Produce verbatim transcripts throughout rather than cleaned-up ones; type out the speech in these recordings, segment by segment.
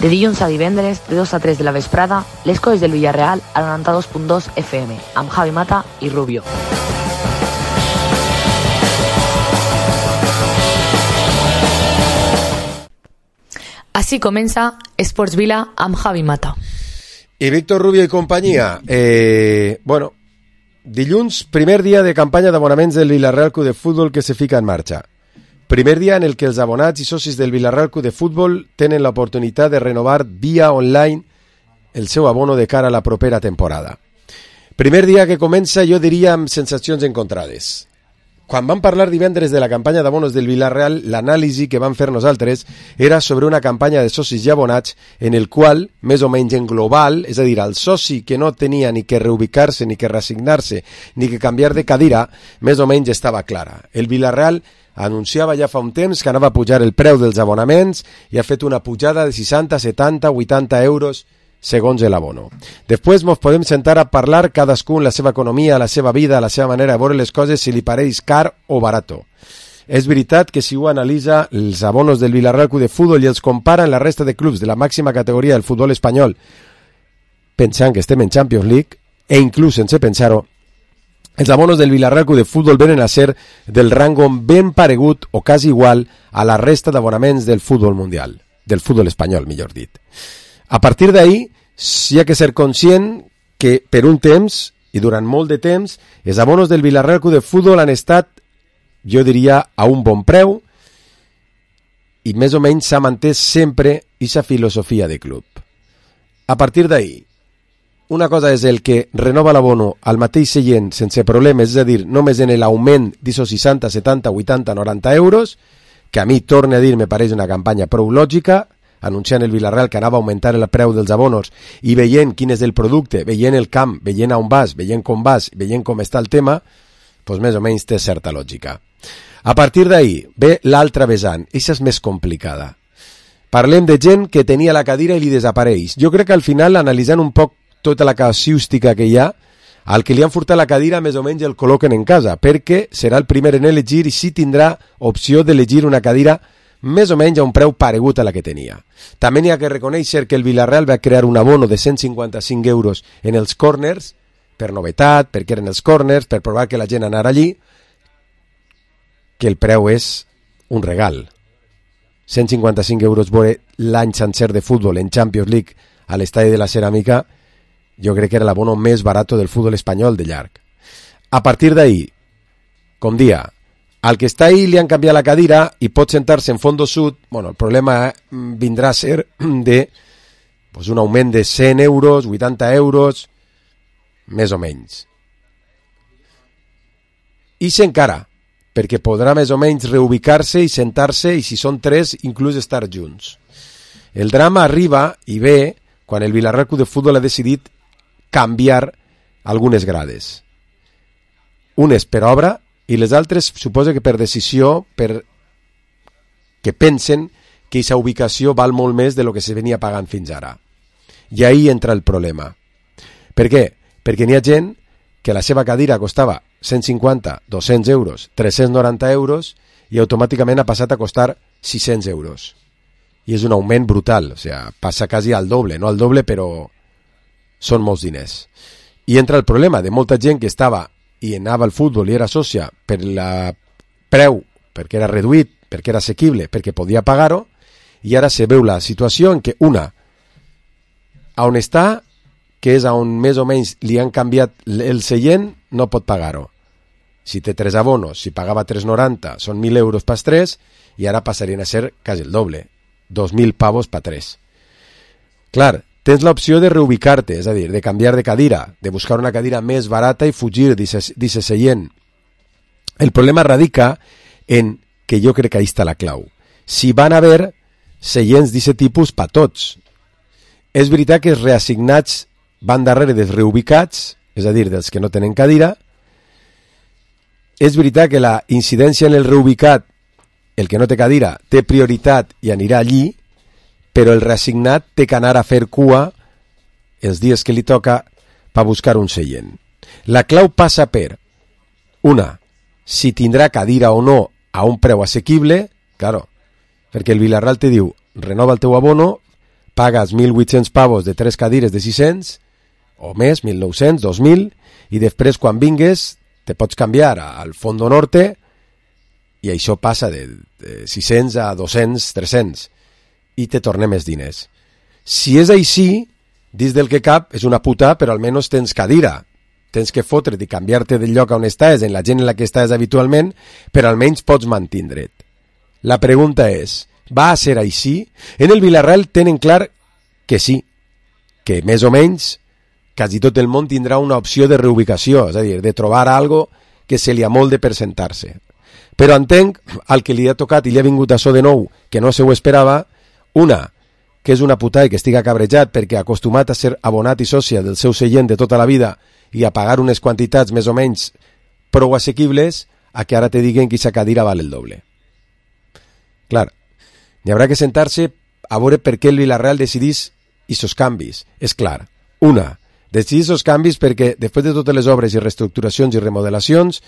De dilluns a divendres, de dos a tres de la vesprada, les coses del Villarreal al noranta-dos punt dos F M, amb Javi Mata i Rubio. Així comença Esports Vila amb Javi Mata. I Víctor Rubio i companyia. Eh, bueno, dilluns, primer dia de campanya d'abonaments del Villarreal Club de Futbol que se fica en marxa. Primer dia en el que els abonats i socis del Villarreal Club de Futbol tenen l'oportunitat de renovar via online el seu abono de cara a la propera temporada. Primer dia que comença, jo diria, amb sensacions encontrades. Quan vam parlar divendres de la campanya d'abonos del Villarreal, l'anàlisi que vam fer nosaltres era sobre una campanya de socis i abonats en el qual, més o menys en global, és a dir, el soci que no tenia ni que reubicar-se, ni que resignar-se, ni que canviar de cadira, més o menys estava clara. El Villarreal anunciava ja fa un temps que anava a pujar el preu dels abonaments i ha fet una pujada de seixanta, setanta, vuitanta euros segons l'abono. Després ens podem sentar a parlar cadascun la seva economia, la seva vida, la seva manera de veure les coses, si li pareix car o barato. És veritat que si ho analitza els abonos del Villarreal Club de Futbol i els compara amb la resta de clubs de la màxima categoria del futbol espanyol, pensant que estem en Champions League, e inclús sense pensar-ho, els abonos del Villarreal Club de Futbol venen a ser del rango ben paregut o quasi igual a la resta d'abonaments del futbol mundial, del futbol espanyol, millor dit. A partir d'ahí, hi ha que ser conscient que per un temps, i durant molt de temps, els abonos del Villarreal Club de Futbol han estat, jo diria, a un bon preu i més o menys s'ha mantès sempre aquesta filosofia de club. A partir d'ahí, una cosa és el que renova l'abono al mateix seient sense problemes, és a dir, només en l'augment d'aquests seixanta, setanta, vuitanta, noranta euros, que a mi, torne a dir, me pareix una campanya prou lògica, anunciant el Villarreal que anava a augmentar el preu dels abonos i veient quin és el producte, veient el camp, veient on vas, veient com vas, veient com està el tema, doncs més o menys té certa lògica. A partir d'ahí ve l'altra vessant, aquesta és més complicada. Parlem de gent que tenia la cadira i li desapareix. Jo crec que al final, analitzant un poc tota la casuística que hi ha, al que li han furtat la cadira més o menys el col·loquen en casa, perquè serà el primer en elegir i sí tindrà opció d'elegir una cadira més o menys a un preu paregut a la que tenia. També n'hi ha que reconèixer que el Villarreal va crear un abono de cent cinquanta-cinc euros en els corners, per novetat, perquè eren els corners, per provar que la gent anara allí, que el preu és un regal. cent cinquanta-cinc euros veure l'any sencer de futbol en Champions League a l'estadi de la Ceràmica, jo crec que era l'abono més barat del futbol espanyol de llarg. A partir d'ahí, com dia, al que està ahí li han canviat la cadira i pot sentar-se en fondo sud, bueno, el problema vindrà a ser de pues, un augment de cent euros, vuitanta euros, més o menys. I s'encara, perquè podrà més o menys reubicar-se i sentar-se i si són tres, inclús estar junts. El drama arriba i ve quan el Villarreal Club de Futbol ha decidit canviar algunes grades. Unes per obra i les altres suposa que per decisió, per que pensen que aquesta ubicació val molt més de lo que se venia pagant fins ara. I ahí entra el problema. Per què? Perquè n'hi ha gent que la seva cadira costava cent cinquanta, dos-cents euros, tres-cents noranta euros i automàticament ha passat a costar sis-cents euros. I és un augment brutal, o sigui, passa quasi al doble, no al doble, però són molts diners. I entra el problema de molta gent que estava i anava al futbol i era sòcia per la preu, perquè era reduït, perquè era assequible, perquè podia pagar-ho, i ara se veu la situació en què una, on està, que és on més o menys li han canviat el seient, no pot pagar-ho. Si té tres abonos, si pagava tres noranta, són mil euros pas tres, i ara passarien a ser quasi el doble, dos mil pavos pa tres. Clar, tens l'opció de reubicar-te, és a dir, de canviar de cadira, de buscar una cadira més barata i fugir d'aquest seient. El problema radica en que jo crec que ahí està la clau. Si van haver seients d'aquest tipus pa tots. És veritat que els reassignats van darrere dels reubicats, és a dir, dels que no tenen cadira. És veritat que la incidència en el reubicat, el que no té cadira, té prioritat i anirà allí, però el reassignat té que anar a fer cua els dies que li toca per buscar un seient. La clau passa per, una, si tindrà cadira o no a un preu assequible, claro, perquè el Villarreal te diu, renova el teu abono, pagues mil vuit-cents pavos de tres cadires de sis-cents, o més, mil nou-cents, dos mil, i després quan vingues te pots canviar al Fondo Norte i això passa de, de sis-cents a dos-cents, tres-cents, i te tornem més diners. Si és així, dins del que cap, és una puta, però almenys tens cadira. Tens que fotre't i canviar-te del lloc on estàs, en la gent en la que estàs habitualment, però almenys pots mantindre't. La pregunta és, va a ser així? En el Villarreal tenen clar que sí, que més o menys quasi tot el món tindrà una opció de reubicació, és a dir, de trobar algo que se li amolde per sentar-se. Però entenc, al que li ha tocat i li ha vingut això de nou, que no se ho esperava, una, que és una puta i que estiga cabrejat perquè acostumat a ser abonat i sòcia del seu seient de tota la vida i a pagar unes quantitats més o menys prou assequibles, a que ara te diguen que aquesta cadira val el doble. Clar, n'hi haurà que sentar-se a veure per què el Villarreal decidís aquests canvis. És clar, una, decidís aquests canvis perquè, després de totes les obres i reestructuracions i remodelacions,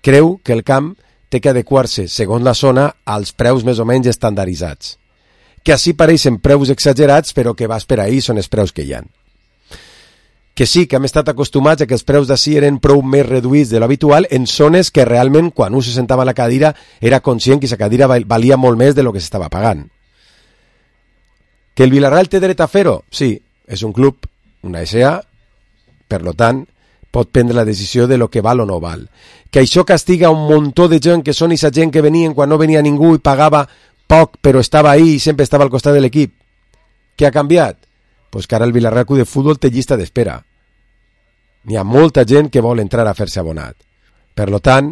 creu que el camp té que adequar-se, segons la zona, als preus més o menys estandarditzats. Que així pareixen preus exagerats, però que vas per ahir són els preus que hi ha. Que sí, que hem estat acostumats a que els preus d'ací eren prou més reduïts de l'habitual en zones que realment, quan un se sentava a la cadira, era conscient que aquesta cadira valia molt més de lo que s'estava pagant. Que el Villarreal té dret a fer-ho? Sí, és un club, una S A, per lo tant, pot prendre la decisió de lo que val o no val. Que això castiga un muntó de gent que són aquesta gent que venien quan no venia ningú i pagava poc, però estava ahí i sempre estava al costat de l'equip. Què ha canviat? Pues que ara el Villarreal Club de Futbol té llista d'espera. N'hi ha molta gent que vol entrar a fer-se abonat. Per lo tant,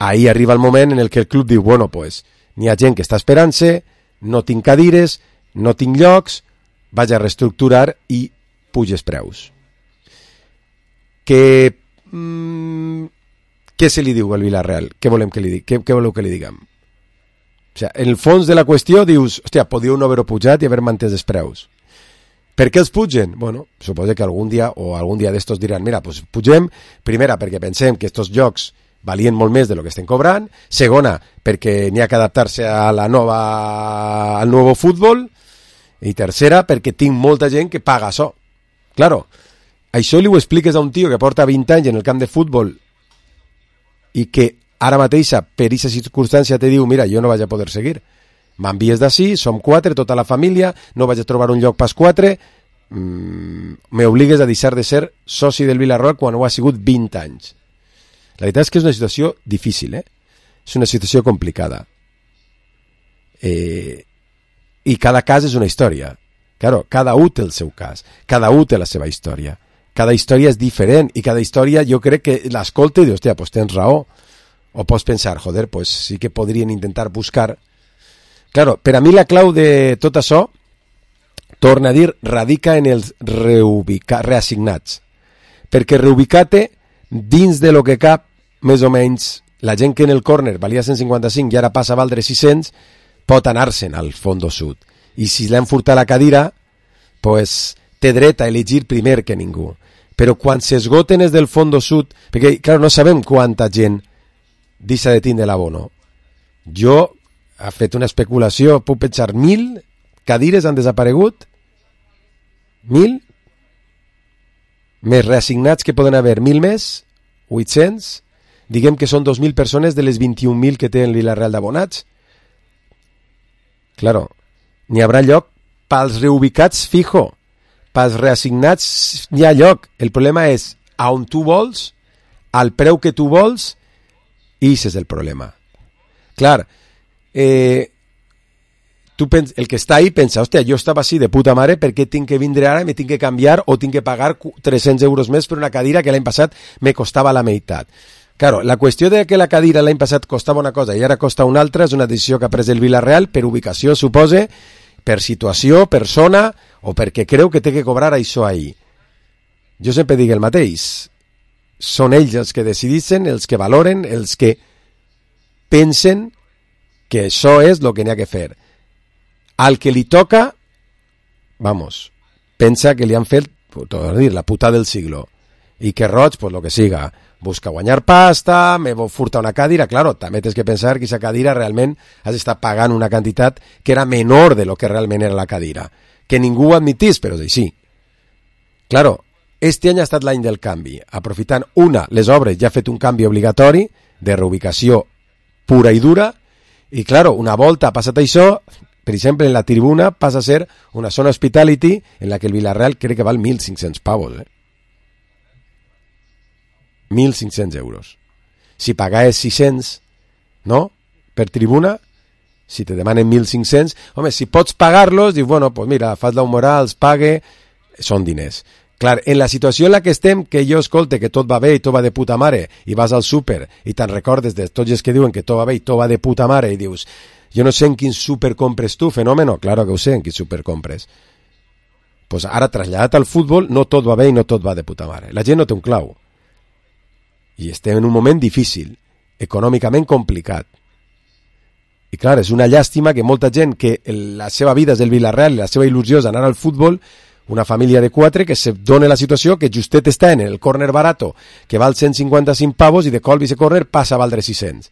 ahí arriba el moment en el que el club diu, bueno, pues, n'hi ha gent que està esperant-se, no tinc cadires, no tinc llocs, vaig a reestructurar i puges preus. Que... Mm, què se li diu al Villarreal? Què volem que li digui? Què, què voleu que li diguem? O sigui, en el fons de la qüestió dius, hòstia, podíeu no haver-ho pujat i haver mantès els preus. Per què els pugen? Bueno, suposo que algun dia o algun dia d'estos diran, mira, pues pugem, primera, perquè pensem que estos jocs valien molt més de lo que estem cobrant, segona, perquè n'hi ha que adaptar-se a la nova, al nou futbol, i tercera, perquè tinc molta gent que paga això. Claro, això li ho expliques a un tio que porta vint anys en el camp de futbol i que ara mateixa, per aquesta circumstància, te diu, mira, jo no vaig a poder seguir. M'envies d'ací, som quatre, tota la família, no vaig a trobar un lloc pas quatre, mmm, m'obligues a deixar de ser soci del Villarreal quan ho ha sigut vint anys. La veritat és que és una situació difícil, eh? És una situació complicada. Eh, I cada cas és una història. Claro, cada un té el seu cas, cada un té la seva història. Cada història és diferent i cada història jo crec que l'escolta i dius, hòstia, pues tens raó. O pots pensar, joder, pues sí que podrien intentar buscar. Claro, per a mi la clau de tot això, torna a dir, radica en els reubica, reassignats. Perquè reubicar-te dins de lo que cap, més o menys, la gent que en el córner valia cent cinquanta-cinc i ara passa a valdre sis-cents, pot anar-se'n al Fondo Sud. I si l'han furtat la cadira, pues, té dret a elegir primer que ningú. Però quan s'esgoten els del Fondo Sud, perquè, clar, no sabem quanta gent deixa de tindre l'abono. Jo ha fet una especulació, puc pensar, mil cadires han desaparegut? Mil? Més reassignats que poden haver mil més? vuit-cents? Diguem que són dos mil persones de les vint-i-un mil que té el Villarreal d'abonats? Claro, n'hi haurà lloc pels reubicats fijo, pels reassignats n'hi ha lloc. El problema és a on tu vols, al preu que tu vols, i això és el problema. Clar, eh, tu pens, el que està ahí pensa, hòstia, jo estava així de puta mare, per què tinc que vindre ara, me tinc que canviar o tinc que pagar tres-cents euros més per una cadira que l'any passat me costava la meitat. Claro, la qüestió de que la cadira l'any passat costava una cosa i ara costa una altra és una decisió que ha pres el Villarreal per ubicació, supose, per situació, per zona o perquè creu que té que cobrar això ahí. Jo sempre dic el mateix. Són ells els que decideixen, els que valoren, els que pensen que això és el que n'hi ha que fer. Al que li toca, vamos, pensa que li han fet, tot dir, la puta del siglo. I que roig, pues lo que siga. Busca guanyar pasta, me furta una cadira. Claro, també tens que pensar que aquesta cadira realment has estat pagant una quantitat que era menor de lo que realment era la cadira. que ningú ho admitís, però és així. Claro, este any ha estat l'any del canvi, aprofitant, una, les obres ja ha fet un canvi obligatori de reubicació pura i dura, i claro, una volta ha passat això, per exemple, en la tribuna passa a ser una zona hospitality en la que el Villarreal crec que val mil cinc-cents pavos, eh? mil cinc-cents euros. Si pagaves sis-cents, no?, per tribuna, si te demanen mil cinc-cents, home, si pots pagar-los, dius, bueno, pues mira, fas la moral, els pague, són diners. Clar, en la situació en la que estem, que jo escolte que tot va bé i tot va de puta mare, i vas al súper i te'n recordes de tots els que diuen que tot va bé i tot va de puta mare, i dius, jo no sé en quin súper compres tu, fenòmeno, claro que ho sé en quin súper compres. Pues ara, traslladat al futbol, no tot va bé i no tot va de puta mare. La gent no té un clau. I estem en un moment difícil, econòmicament complicat. I clar, és una llàstima que molta gent que la seva vida és el Villarreal i la seva il·lusió és anar al futbol, una família de quatre que se dona la situació que justet està en el córner barato, que val cent cinquanta-cinc pavos i de colp ese córner passa a valdre sis-cents.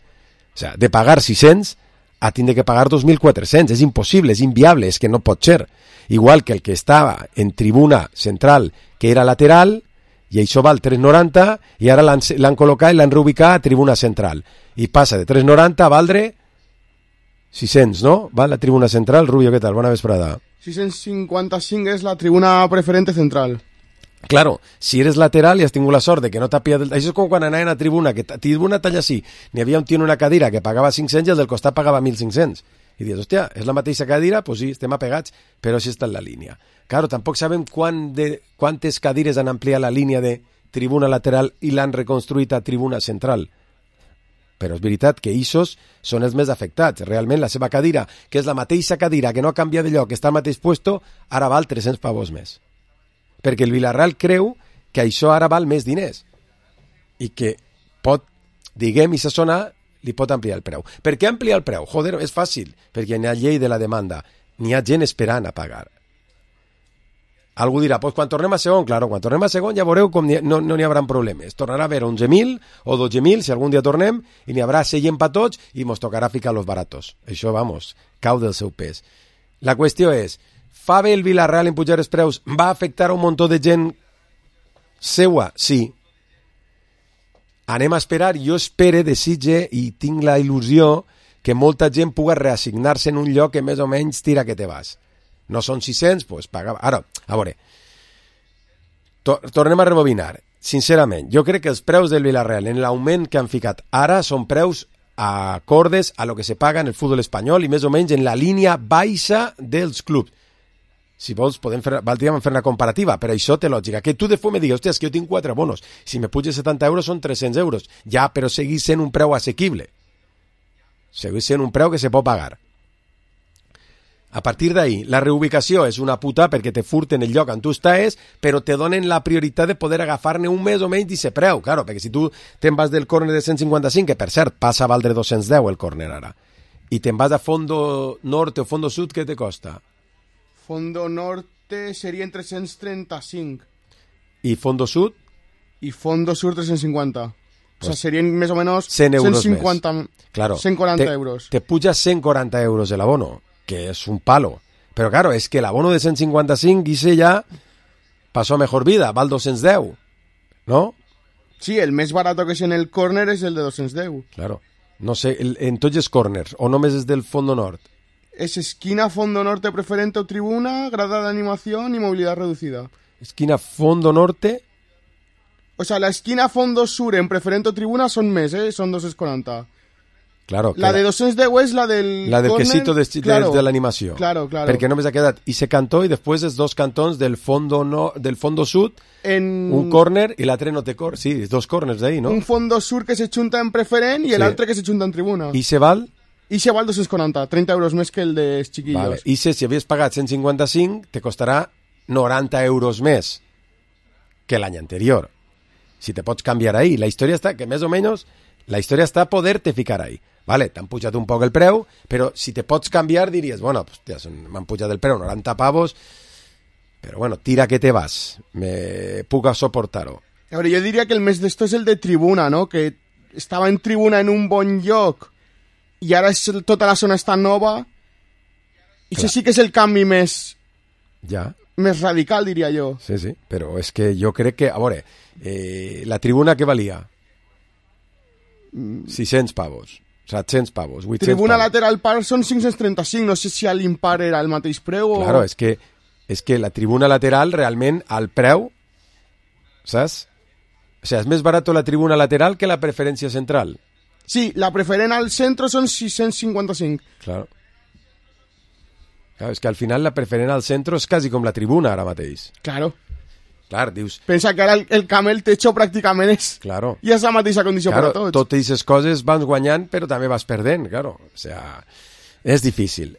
O sea, de pagar sis-cents a tindre que pagar dos mil quatre-cents. És impossible, és inviable, és que no pot ser. Igual que el que estava en tribuna central, que era lateral, i això val tres noranta, i ara l'han, l'han col·locat i l'han reubicat a tribuna central. I passa de tres noranta a valdre sis-cents, no? Va la tribuna central. Rubio, què tal? Bona vesprada. sis-cents cinquanta-cinc és la tribuna preferente central. Claro, si eres lateral i has tingut la sort de que no t'ha pillat... El... Això és com quan anaven a tribuna, que tribuna talla sí, n'hi havia un tio en una cadira que pagava cinc-cents i el del costat pagava mil cinc-cents. I dius, hòstia, és la mateixa cadira? Pues sí, estem apegats, però sí està en la línia. Claro, tampoc sabem quan de... quantes cadires han ampliat la línia de tribuna lateral i l'han reconstruït a tribuna central. Però és veritat que Isos són els més afectats. Realment la seva cadira, que és la mateixa cadira que no ha canviat de lloc, que està al mateix puesto, ara val tres-cents pavos més. Perquè el Villarreal creu que això ara val més diners i que pot, diguem, i sa zona li pot ampliar el preu. Per què ampliar el preu? Joder, és fàcil, perquè hi ha llei de la demanda, n'hi ha gent esperant a pagar. Algú dirà, pues quan tornem a segon, claro, quan tornem a segon ja veureu com no n'hi no haurà problemes. Tornarà a haver onze mil o dotze mil, si algun dia tornem, i n'hi haurà seient per tots i mos tocarà ficar los baratos. Això, vamos, cau del seu pes. La qüestió és, fa bé el Villarreal en pujar els preus? Va afectar a un muntó de gent seua? Sí. Anem a esperar, jo espere, desitge i tinc la il·lusió que molta gent pugui reassignar-se en un lloc que més o menys tira que te vas. No són sis-cents, doncs paga... Ara, a veure, to tornem a rebobinar. Sincerament, jo crec que els preus del Villarreal en l'augment que han ficat ara són preus acordes a lo que se paga en el futbol espanyol i més o menys en la línia baixa dels clubs. Si vols, podem fer, valdríem fer una comparativa, però això té lògica. Que tu de fum me digues, hòstia, és que jo tinc quatre bonos. Si me puges setanta euros són tres-cents euros. Ja, però seguís sent un preu assequible. Seguís sent un preu que se pot pagar. A partir d'ahí, la reubicació és una puta perquè te furten el lloc on tu estàs, però te donen la prioritat de poder agafar-ne un més o menys d'aquest preu, claro, perquè si tu te'n vas del córner de cent cinquanta-cinc, que per cert passa a valdre dos-cents deu el córner ara, i te'n vas a fondo norte o fondo sud, què te costa? Fondo norte serien tres-cents trenta-cinc. I fondo sud? I fondo sur tres-cents cinquanta. Pues o sea, serien més o menys cent euros cent cinquanta, més. Claro, cent quaranta te, euros. Te puja cent quaranta euros el abono, que es un palo. Pero claro, es que el abono de cent cinquanta-cinc, Guise, ya pasó a mejor vida, val dos-cents deu, ¿no? Sí, el més barato que es en el córner es el de dos-cents deu. Claro. No sé, el, en tots els corners, o només és del fondo nord? Es esquina, fondo norte, preferente o tribuna, grada de animación y movilidad reducida. Esquina, fondo norte... O sea, la esquina, fondo sur en preferente o tribuna son més, eh? Son dos-cents quaranta. Claro, la de dos-cents deu és la del la del corner, quesito de, claro, de l'animació. Claro, claro. Perquè només ha quedat i se cantó i després els dos cantons del fondo no, del fondo sud, en... un córner i l'altre no té córner. Sí, dos córners d'ahí, no? Un fondo sur que se junta en preferent i sí. L'altre que se junta en tribuna. I se val? I se val dos-cents quaranta, trenta euros més que el dels xiquillos. Vale. I se, si havies pagat cent cinquanta-cinc, te costarà noranta euros més que l'any anterior. Si te pots canviar ahí. La història està que més o menys la història està a poder-te ficar ahí. Vale, t'han pujat un poc el preu, però si te pots canviar diries, bueno, pues, m'han pujat el preu noranta pavos, però bueno, tira que te vas, me puc soportar-ho. A veure, jo diria que el més d'esto és el de tribuna, no? Que estava en tribuna en un bon lloc i ara és, tota la zona està nova i això sí que és el canvi més Ja. Més radical, diria jo. Sí, sí, però és que jo crec que... A veure, eh, la tribuna què valia? sis-cents pavos, set-cents pavos, vuit-cents Tribuna pavos. lateral par són cinc-cents trenta-cinc, no sé si a l'impar era el mateix preu o... Claro, és que, és que la tribuna lateral realment al preu, saps? O sea, és més barat la tribuna lateral que la preferència central. Sí, la preferent al centre són sis-cents cinquanta-cinc. Claro. Claro, és que al final la preferent al centre és quasi com la tribuna ara mateix. Claro. Clar, dius... Pensa que ara el, el camp el techo pràcticament és... Claro. I és la mateixa condició Claro, per a tots. totes aquestes coses vas guanyant, però també vas perdent, claro. O sea, és difícil.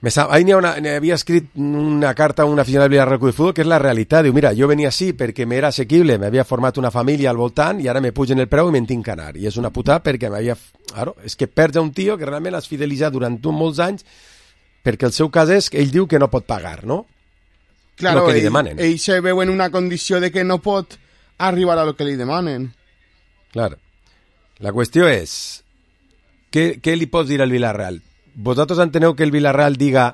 Me sa... Ahí n'hi ha una... n'hi havia escrit una carta a un aficionat del Villarreal Club de Fútbol que és la realitat. Diu, mira, jo venia així perquè m'era assequible, m'havia format una família al voltant i ara me pugen el preu i me'n tinc que anar. I és una puta perquè m'havia... Claro, és que perds a un tio que realment has fidelitzat durant molts anys perquè el seu cas és que ell diu que no pot pagar, no? Claro, lo que li ell, demanen. ell se veu en una condició de que no pot arribar a lo que li demanen. Clar. La qüestió és, què, què li pots dir al Villarreal? Vosaltres enteneu que el Villarreal diga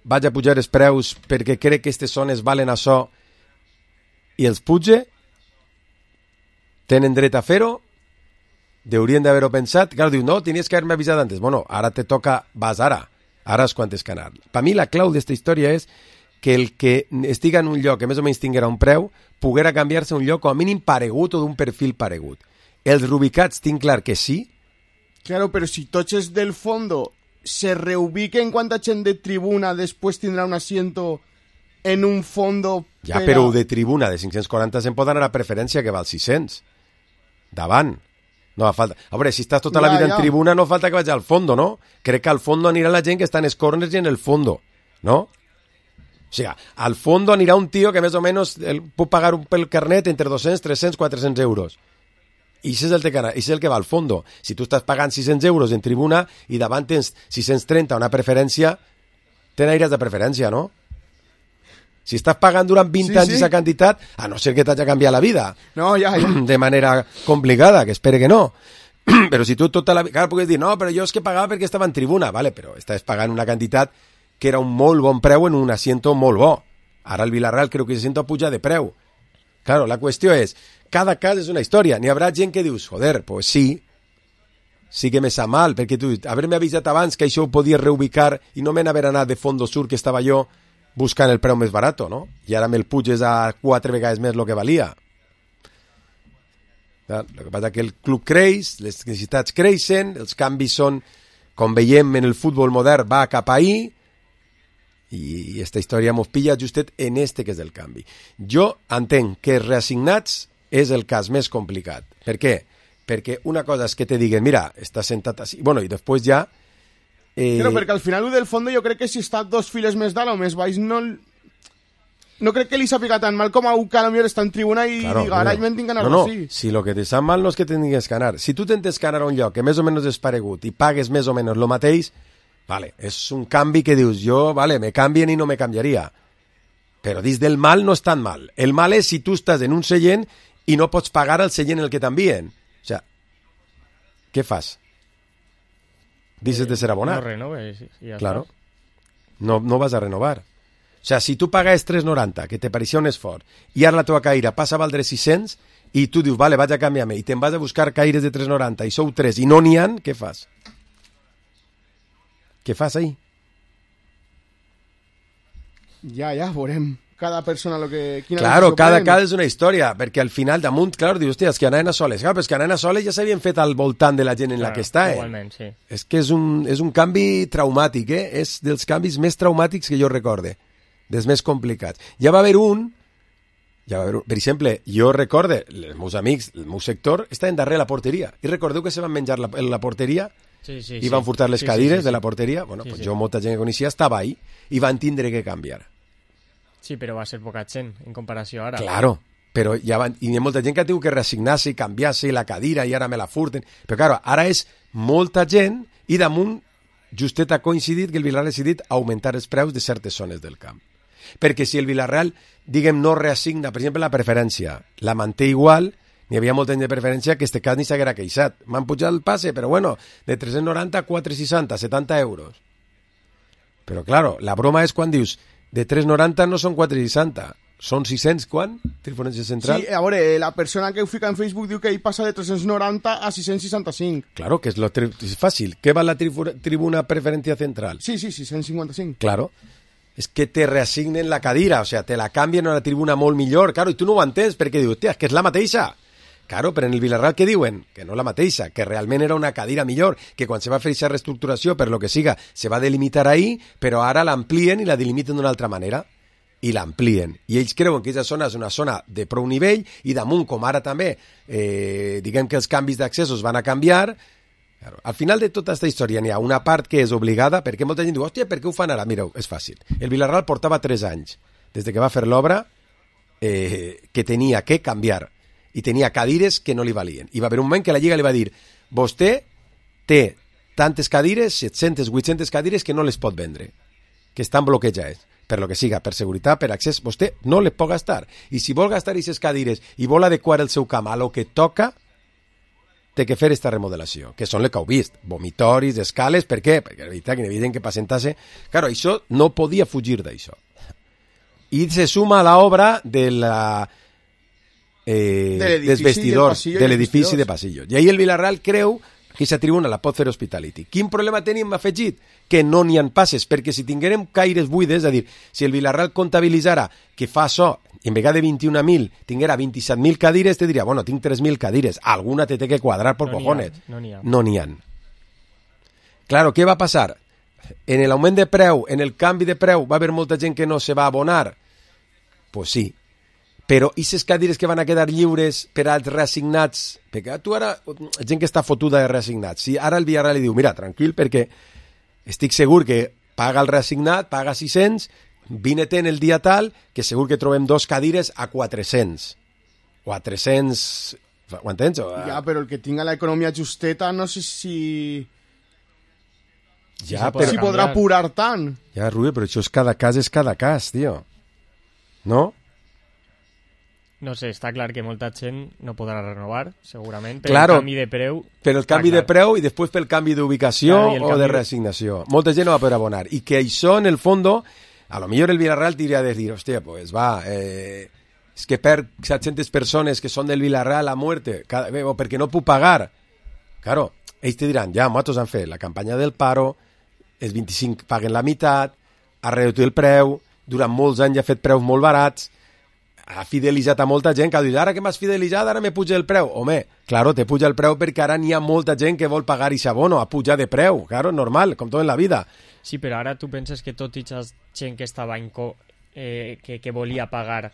vaig a pujar els preus perquè crec que aquestes zones valen això i els puge? Tenen dret a fer-ho? Deurien d'haver-ho pensat? Clar, diu, no, tenies que haver-me avisat antes. Bueno, ara te toca, vas ara. Ara és quan tens que anar. Per mi la clau d'esta història és que el que estiga en un lloc que més o menys tinguera un preu poguera canviar-se a un lloc com a mínim paregut o d'un perfil paregut. Els reubicats tinc clar que sí. Claro, però si tots els del fondo se reubiquen quanta gent de tribuna després tindrà un asiento en un fondo... Ja, per a... però de tribuna de cinc-cents quaranta se'n pot anar a preferència que val sis-cents. Davant. No fa falta. A veure, si estàs tota la Ja, vida ja. en tribuna no falta que vagi al fondo, no? Crec que al fondo anirà la gent que està en els corners i en el fondo, no? O sigui, al fondo anirà un tio que més o menys el, pot pagar un pel carnet entre dos-cents, tres-cents, quatre-cents euros. I això és el que, és el que va al fondo. Si tu estàs pagant sis-cents euros en tribuna i davant tens sis-cents trenta una preferència, ten aires de preferència, no? Si estàs pagant durant vint Sí, anys sí. aquesta quantitat, a no ser que t'hagi canviat la vida No, ja, ja. de manera complicada, que espere que no. Però si tu tota la vida... Clar, pugues dir, no, però jo és que pagava perquè estava en tribuna. Vale, però estàs pagant una quantitat que era un molt bon preu en un asiento molt bo. Ara el Villarreal creu que se sento a pujar de preu. Claro, la qüestió és, cada cas és una història. N'hi haurà gent que dius, joder, pues sí, sí que me sap mal, perquè tu, haver-me avisat abans que això ho podia reubicar i no me n'haver anat de Fondo Sur, que estava jo buscant el preu més barat, no? I ara me'l puges a quatre vegades més el que valia. El que passa és que el club creix, les necessitats creixen, els canvis són, com veiem en el futbol modern, va cap ahí, i aquesta història mos pilla justet en este que és el canvi. Jo entenc que reassignats és el cas més complicat. Per què? Perquè una cosa és que te diguen, mira, estàs sentat així, bueno, i després ja... Eh... Però perquè al final el del fondo jo crec que si està dos files més dalt o més baix no... No crec que li sàpiga tan mal com a un que a lo millor està en tribuna i Claro, diga, ara no, me'n tinc que anar no, no, així. si lo que te sap mal no és que tinguis que anar. Si tu tentes que anar a un lloc que més o menys és paregut i pagues més o menys el mateix, vale, és un canvi que dius, jo, vale, me canvien i no me canviaria. Però dins del mal no és tan mal. El mal és si tu estàs en un seient i no pots pagar el seient en el que t'envien. O sea, què fas? Dices de ser abonat. No renoves i ja Claro. està. No, no vas a renovar. O sea, si tu pagues tres noranta, que te pareixia un esforç, i ara la teva caire passa a valdre sis-cents, i tu dius, vale, vaig a canviar-me, i te'n vas a buscar caires de tres noranta, i sou tres, i no n'hi ha, què fas? Què fas ahí? Ja, ja, veurem cada persona lo que... Quina Claro, decisió cada pren. cas és una història, perquè al final damunt, clar, dius, hòstia, és que anaven a soles. Clar, però és que anaven a soles ja s'havien fet al voltant de la gent en la Clar, que està, eh? Igualment, sí. És que és un, és un canvi traumàtic, eh? És dels canvis més traumàtics que jo recorde, dels més complicats. Ja va haver un, ja va haver un, per exemple, jo recorde, els meus amics, el meu sector, estaven darrere la porteria, i recordeu que se van menjar la, la porteria Sí, sí, i van furtar les sí, cadires sí, sí, de la sí. porteria? Bueno, Sí, pues sí. jo, molta gent que coneixia, estava ahí, i van tindre que canviar. Sí, però va ser poca gent en comparació ara. Claro, però ja van, i hi ha molta gent que ha tingut que resignar-se i canviar-se la cadira i ara me la furten. Però claro, ara és molta gent i damunt justet ha coincidit que el Villarreal ha decidit augmentar els preus de certes zones del camp. Perquè si el Villarreal, diguem, no reassigna, per exemple, la preferència, la manté igual, n'hi havia molta gent de preferència que este cas ni s'haguera queixat. M'han pujat el passe, però bueno, de tres-cents noranta a quatre-cents seixanta, setanta euros. Però claro, la broma és quan dius, de tres noranta no són quatre seixanta, són sis cents, quan? Diferència central? Sí, a veure, la persona que ho fica en Facebook diu que ell passa de tres-cents noranta a sis-cents seixanta-cinc. Claro, que és, lo tri és fàcil. Què va la tribu tribuna preferència central? Sí, sí, sis-cents cinquanta-cinc. Claro. És que te reassignen la cadira, o sea, te la canvien a una tribuna molt millor, claro, i tu no ho entens perquè dius, hòstia, és que és la mateixa. Claro, però en el Villarreal què diuen? Que no la mateixa, que realment era una cadira millor, que quan se va fer aquesta reestructuració, per lo que siga, se va delimitar ahí, però ara l'amplien i la delimiten d'una altra manera. I l'amplien. I ells creuen que aquesta zona és una zona de prou nivell i damunt, com ara també, eh, diguem que els canvis d'accessos van a canviar. Claro, al final de tota aquesta història n'hi ha una part que és obligada, perquè molta gent diu, hòstia, per què ho fan ara? Mireu, és fàcil. El Villarreal portava tres anys, des de que va fer l'obra, eh, que tenia que canviar, i tenia cadires que no li valien. I va haver un moment que la Lliga li va dir, vostè té tantes cadires, set-centes, vuit-centes cadires, que no les pot vendre, que estan bloquejades. Per lo que siga, per seguretat, per accés, vostè no les pot gastar. I si vol gastar aquestes cadires i vol adequar el seu camp a lo que toca, té que fer aquesta remodelació, que són les que heu vist, vomitoris, escales, per què? Perquè és veritat que evident que per sentar-se... Claro, això no podia fugir d'això. I se suma a l'obra de la... Eh, de dels vestidors, de l'edifici de passillos. I ahí el Villarreal creu que aquesta tribuna la pot fer Hospitality. Quin problema tenim afegit? Que no n'hi ha passes, perquè si tinguérem caires buides, és a dir, si el Villarreal comptabilitzara que fa això, i en vegada de vint-i-un mil tinguera vint-i-set mil cadires, te diria, bueno, tinc tres mil cadires, alguna te té que quadrar por no cojones. No n'hi ha. No n'hi ha. Claro, què va passar? En l'augment de preu, en el canvi de preu, va haver molta gent que no se va abonar? Pues sí. Però aquestes cadires que van a quedar lliures per als reassignats, perquè tu ara, gent que està fotuda de reassignats, si ara el Villarreal li diu, mira, tranquil, perquè estic segur que paga el reassignat, paga sis-cents, vine-te'n el dia tal, que segur que trobem dos cadires a quatre-cents, o a tres-cents, ho entens? O a... Ja, però el que tinga l'economia justeta, no sé si... Ja, si, però... si podrà apurar tant. Ja, Rubio, però això és cada cas, és cada cas, tio. No? No sé, està clar que molta gent no podrà renovar, segurament, per claro, el canvi de preu. Per el canvi de preu i després pel canvi d'ubicació claro, o de reassignació. Molta gent no va poder abonar. I que això, en el fondo, a lo millor el Villarreal tindria de dir, hòstia, pues va, eh, és que per set-centes persones que són del Villarreal a muerte, cada, eh, o perquè no puc pagar. Claro, ells te diran, ja, nosaltres han fet la campanya del paro, els vint-i-cinc paguen la meitat, ha reduït el preu, durant molts anys ha fet preus molt barats, ha fidelitzat a molta gent que ha dit, ara que m'has fidelitzat, ara me puja el preu. Home, claro, te puja el preu perquè ara n'hi ha molta gent que vol pagar aquest abono, a pujar de preu, claro, normal, com tot en la vida. Sí, però ara tu penses que tot i aquesta gent que estava en co, eh, que, que volia pagar,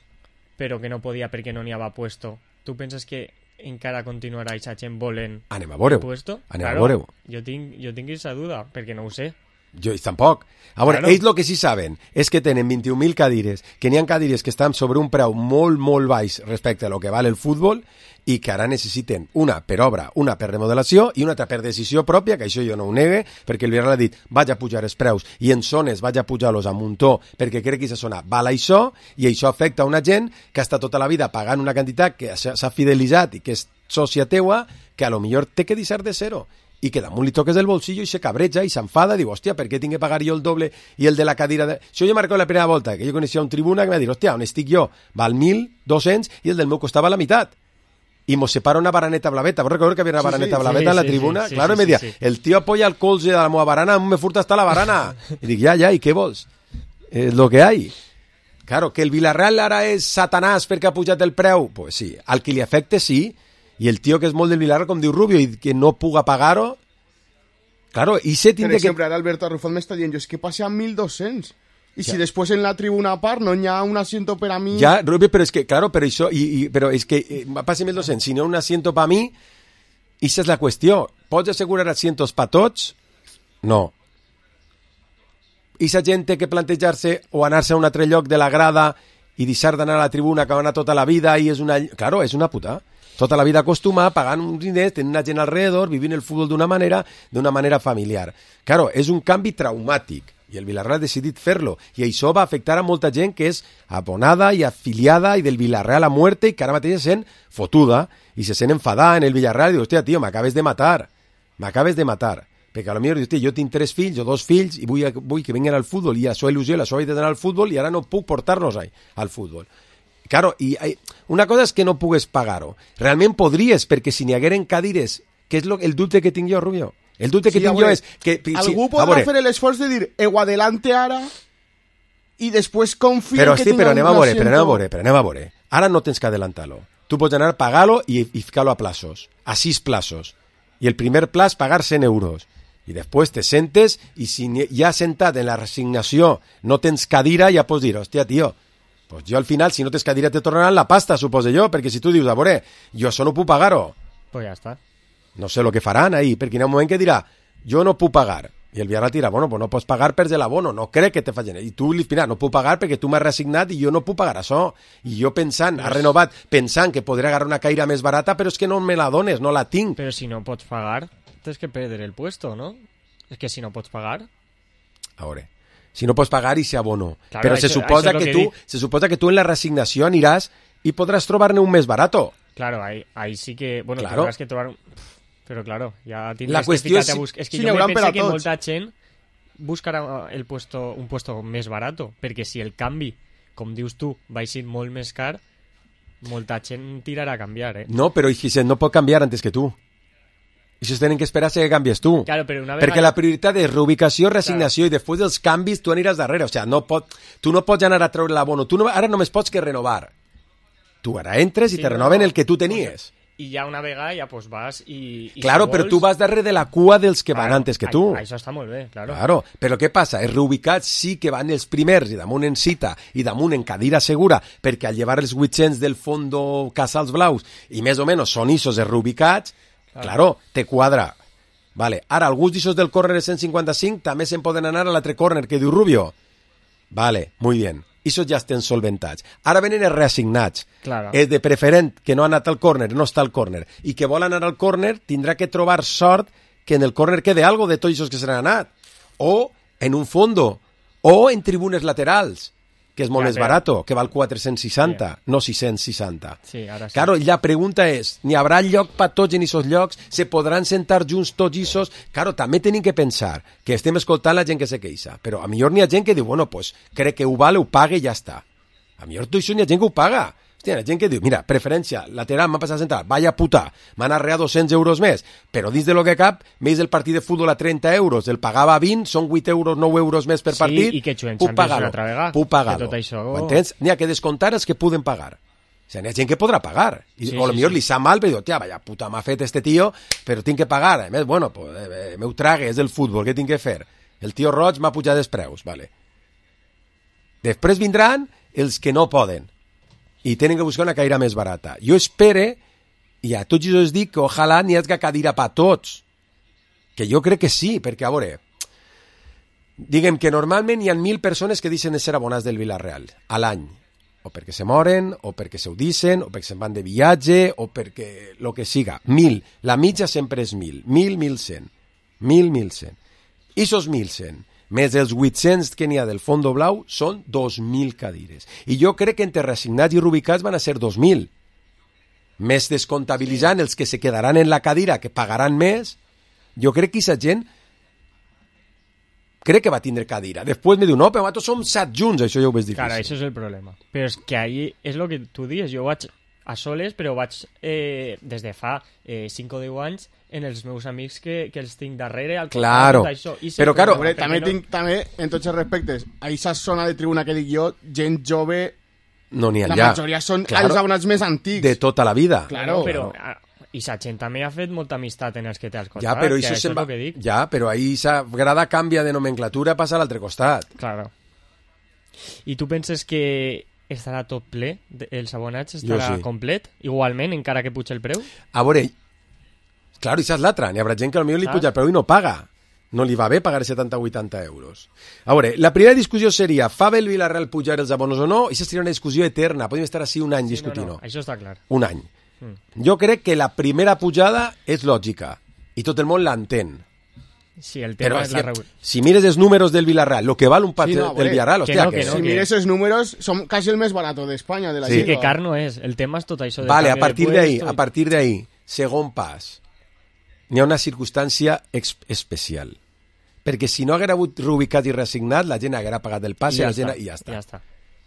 però que no podia perquè no n'hi havia puesto, tu penses que encara continuarà aquesta gent volent anem a veure-ho, puesto? anem claro, a veure-ho. Jo tinc, jo tinc aquesta duda, perquè no ho sé. Jo tampoc. A veure, claro. Ells el que sí saben és que tenen vint-i-un mil cadires, que n'hi ha cadires que estan sobre un preu molt, molt baix respecte a lo que val el futbol i que ara necessiten una per obra, una per remodelació i una altra per decisió pròpia, que això jo no ho negue, perquè el Villarreal ha dit vaig a pujar els preus i en zones vaig a pujar-los a muntó perquè crec que aquesta zona val això i això afecta a una gent que està tota la vida pagant una quantitat que s'ha fidelitzat i que és sòcia teua, que a lo millor té que deixar de zero. I que damunt li toques el bolsillo i se cabreja i s'enfada, diu, hòstia, per què tinc que pagar jo el doble i el de la cadira? De... Això jo m'ha recordat la primera volta, que jo coneixia un tribuna que m'ha dit, hòstia, on estic jo? Val mil dos-cents i el del meu costava la meitat. I mos separa una baraneta blaveta. ¿Vos recordeu que havia una sí, baraneta sí, blaveta sí, en la sí, tribuna? sí, sí, claro, sí, i me deia, sí, sí. el tio apoya el colze de la meva barana, a me furta hasta la barana. I dic, ja, ja, i què vols? És lo que hay. Claro, que el Villarreal ara és satanàs perquè ha pujat el preu? Pues sí, al que li afecte sí, i el tio que és molt del Villarreal, com diu Rubio, i que no puga pagar-ho, claro, i se Per tindre exemple, que... ara Alberto Arrufat m'està dient, jo és que passe a mil dos-cents. I Ja. si després en la tribuna a part no hi ha un asiento per a mi... Ya, Rubio, pero es que, claro, pero eso, y, y, pero es que, eh, pásame el docente, si no un asiento para mí, esa es la cuestión. ¿Pots asegurar asientos para tots? No. Esa gent té que plantejar-se o anar-se a un altre lloc de la grada i deixar d'anar a la tribuna que va anar tota la vida i és una... Claro, és una puta. Tota la vida acostumada, pagant uns diners, tenint una gent alrededor, vivint el futbol d'una manera, d'una manera familiar. Claro, és un canvi traumàtic i el Villarreal ha decidit fer-lo i això va afectar a molta gent que és abonada i afiliada i del Villarreal a muerte i que ara mateix se sent fotuda i se sent enfadada en el Villarreal i diu, hòstia, tio, m'acabes de matar, m'acabes de matar. Perquè a lo millor dius, jo tinc tres fills o dos fills i vull, vull que vinguin al futbol i la seva il·lusió, la seva vida d'anar al futbol i ara no puc portar-los al futbol. Claro, i una cosa és que no pugues pagar-ho. Realment podries, perquè si n'hi hagueren cadires, que és lo, el dubte que tinc jo, Rubio. El dubte que sí, tinc jo és que... Algú si, podrà fer l'esforç de dir ho adelante ara i després confia però, que sí, tinga però anem un a veure, asiento. però anem a veure, però anem a veure. Ara no tens que adelantar-lo. Tu pots anar a pagar-lo i, i ficar-lo a plazos, a sis plazos. I el primer plaç pagar cent euros. I després te sentes i si ja sentat en la resignació no tens cadira, ja pots dir, hòstia, tio, pues jo al final, si no tens cadira, te tornaran la pasta, suposo jo, perquè si tu dius, a veure, jo això no puc pagar-ho. Pues ja està. No sé el que faran ahí, perquè hi ha un moment que dirà, jo no puc pagar. I el Villarreal dirà, bueno, pues no pots pagar per l'abono, no crec que te facin. I tu li diràs, no puc pagar perquè tu m'has resignat i jo no puc pagar això. I jo pensant, ha renovat, pensant que podré agarrar una caire més barata, però és que no me la dones, no la tinc. Però si no pots pagar, tens que perdre el puesto, ¿no? És que si no pots pagar... A veure, si no pots pagar i se abono. Claro, però això, se suposa que, que tu, dic. se suposa que tu en la resignació aniràs i podràs trobar-ne un més barato. Claro, ahí, ahí sí que... Bueno, Claro. tendrás que trobar... Però claro, ja La tindràs que qüestió ficar-te és- a buscar... És que sí, jo n'hi me hauran per a penso que tots. molta gent buscarà el puesto, un puesto més barato, perquè si el canvi, com dius tu, va ser molt més car, molta gent tirarà a canviar, eh? No, però Ixen no pot canviar antes que tu. I si tenen que esperar que canvies tu. Claro, però una vegada... Perquè la prioritat és reubicació, resignació, claro. I després dels canvis tu aniràs darrere. O sigui, no pot, tu no pots anar a treure l'abono. Tu no, ara només pots que renovar. Tu ara entres i Sí, te no, renoven no. el que tu tenies. I ja una vegada ja pues vas i... i Claro, si però vols, tu vas darrere de la cua dels que van claro, antes que tu. ai- Això està molt bé, claro. Claro, però què passa? Els reubicats sí que van els primers i damunt en cita i damunt en cadira segura, perquè al llevar els vuit-cents del fondo Casals Blaus i més o menys són issos els reubicats, claro, claro te quadra. Vale. Ara, alguns d'issos del córner de cent cinquanta-cinc també se'n poden anar a l'altre córner que diu Rubio. Vale, muy bien. Issos ja estan solventats. Ara venen els reassignats. Claro. És de preferent que no ha anat al córner, no està al córner, i que vol anar al córner tindrà que trobar sort que en el córner quede algo de tots els que se n'han anat. O en un fondo, o en tribunes laterals, que és molt Ja, més però- barato, que val quatre-cents seixanta, no sis-cents seixanta. Sí, ara sí. Claro, i la pregunta és, n'hi haurà lloc per tots en aquests llocs? Se podran sentar junts tots aquests? Claro, també tenim que pensar que estem escoltant la gent que se queixa, però a millor n'hi ha gent que diu, bueno, pues crec que ho vale, ho pague i ja està. A millor tot això n'hi ha gent que ho paga. Hòstia, hi ha gent que diu, mira, preferència, lateral, m'ha passat a sentar, vaya puta, m'han arreat dos-cents euros més, però dins de lo que cap, més el partit de futbol a trenta euros, el pagava a vint, són vuit euros, nou euros més per Sí, partit, i que juguen puc Champions pagar-ho, una altra vegada, puc pagar-ho. que tot això- Ho entens? N'hi ha que descomptar els que poden pagar. O sigui, n'hi ha gent que podrà pagar. I, Sí, o sí, millor sí. li sap mal, però diu, tia, vaya puta m'ha fet este tio, però tinc que pagar. A més, bueno, pues, eh, meu trague, és del futbol, què tinc que fer? El tio roig m'ha pujat els preus, vale. Després vindran els que no poden i tenen que buscar una caire més barata. Jo espere, i a tots els dic que ojalà n'hi hagi cadira per tots. Que jo crec que sí, perquè, a veure, diguem que normalment hi ha mil persones que deixen de ser abonats del Villarreal a l'any, o perquè se moren, o perquè se ho dicen, o perquè se'n van de viatge, o perquè lo que siga. Mil. La mitja sempre és mil. Mil, mil cent. Mil, mil cent. I sos mil cent, més els vuit-cents que n'hi ha del fondo blau, són dos mil cadires. I jo crec que entre reassignats i rubicats van a ser dos mil. Més descomptabilitzant els que se quedaran en la cadira, que pagaran més, jo crec que aquesta gent crec que va tindre cadira. Després me diu, no, però nosaltres som set junts, això ja ho ves difícil. Claro, eso es el problema. Pero es que ahí es lo que tú dices. Yo vaig a soles, però vaig eh, des de fa eh, cinc o deu anys en els meus amics que, que els tinc darrere. Al Claro. tot això. I Però, sé claro, com- Hombre, perquè també, no- tinc, també, en tots els respectes, a aquesta zona de tribuna que dic jo, gent jove, No n'hi ha la allà. majoria són Claro, els abonats més antics. de tota la vida. Claro. però ah, i sa gent també ha fet molta amistat en els que té als costats. Ja, però que això és se'n va... el que dic. Ja, però ahí esa grada canvia de nomenclatura, passa a l'altre costat. Claro. I tu penses que estarà tot ple? De- Els abonats estarà Jo sí. complet? Igualment, encara que puja el preu? A veure, claro, això és l'altra. N'hi haurà gent que potser li Saps? puja el preu i no paga. No li va bé pagar setanta o vuitanta euros. A veure, la primera discussió seria, fa bé el Villarreal pujar els abonos o no? I això seria una discussió eterna. Podem estar així un any discutint-ho. No, no, això està clar. Un any. Mm. Jo crec que la primera pujada és lògica i tot el món l'entén. Sí, el Però tema és és la que, regu- si mires els números del Villarreal, lo que val un partit Sí, no, del bé, Villarreal, que hòstia, no, que, que no, Si que- mires els números, som quasi el més barato d'Espanya, de la Sí. Sí, Lliga. que car no és. El tema és tot això. De Vale, a canvi de partir d'ahí, puesto a i- partir d'ahí, segon pas. n'hi ha una circumstància ex- especial. Perquè si no haguera hagut reubicat i reassignat, la gent haguera pagat el passe I ja la gent, està, i ja està. ja està.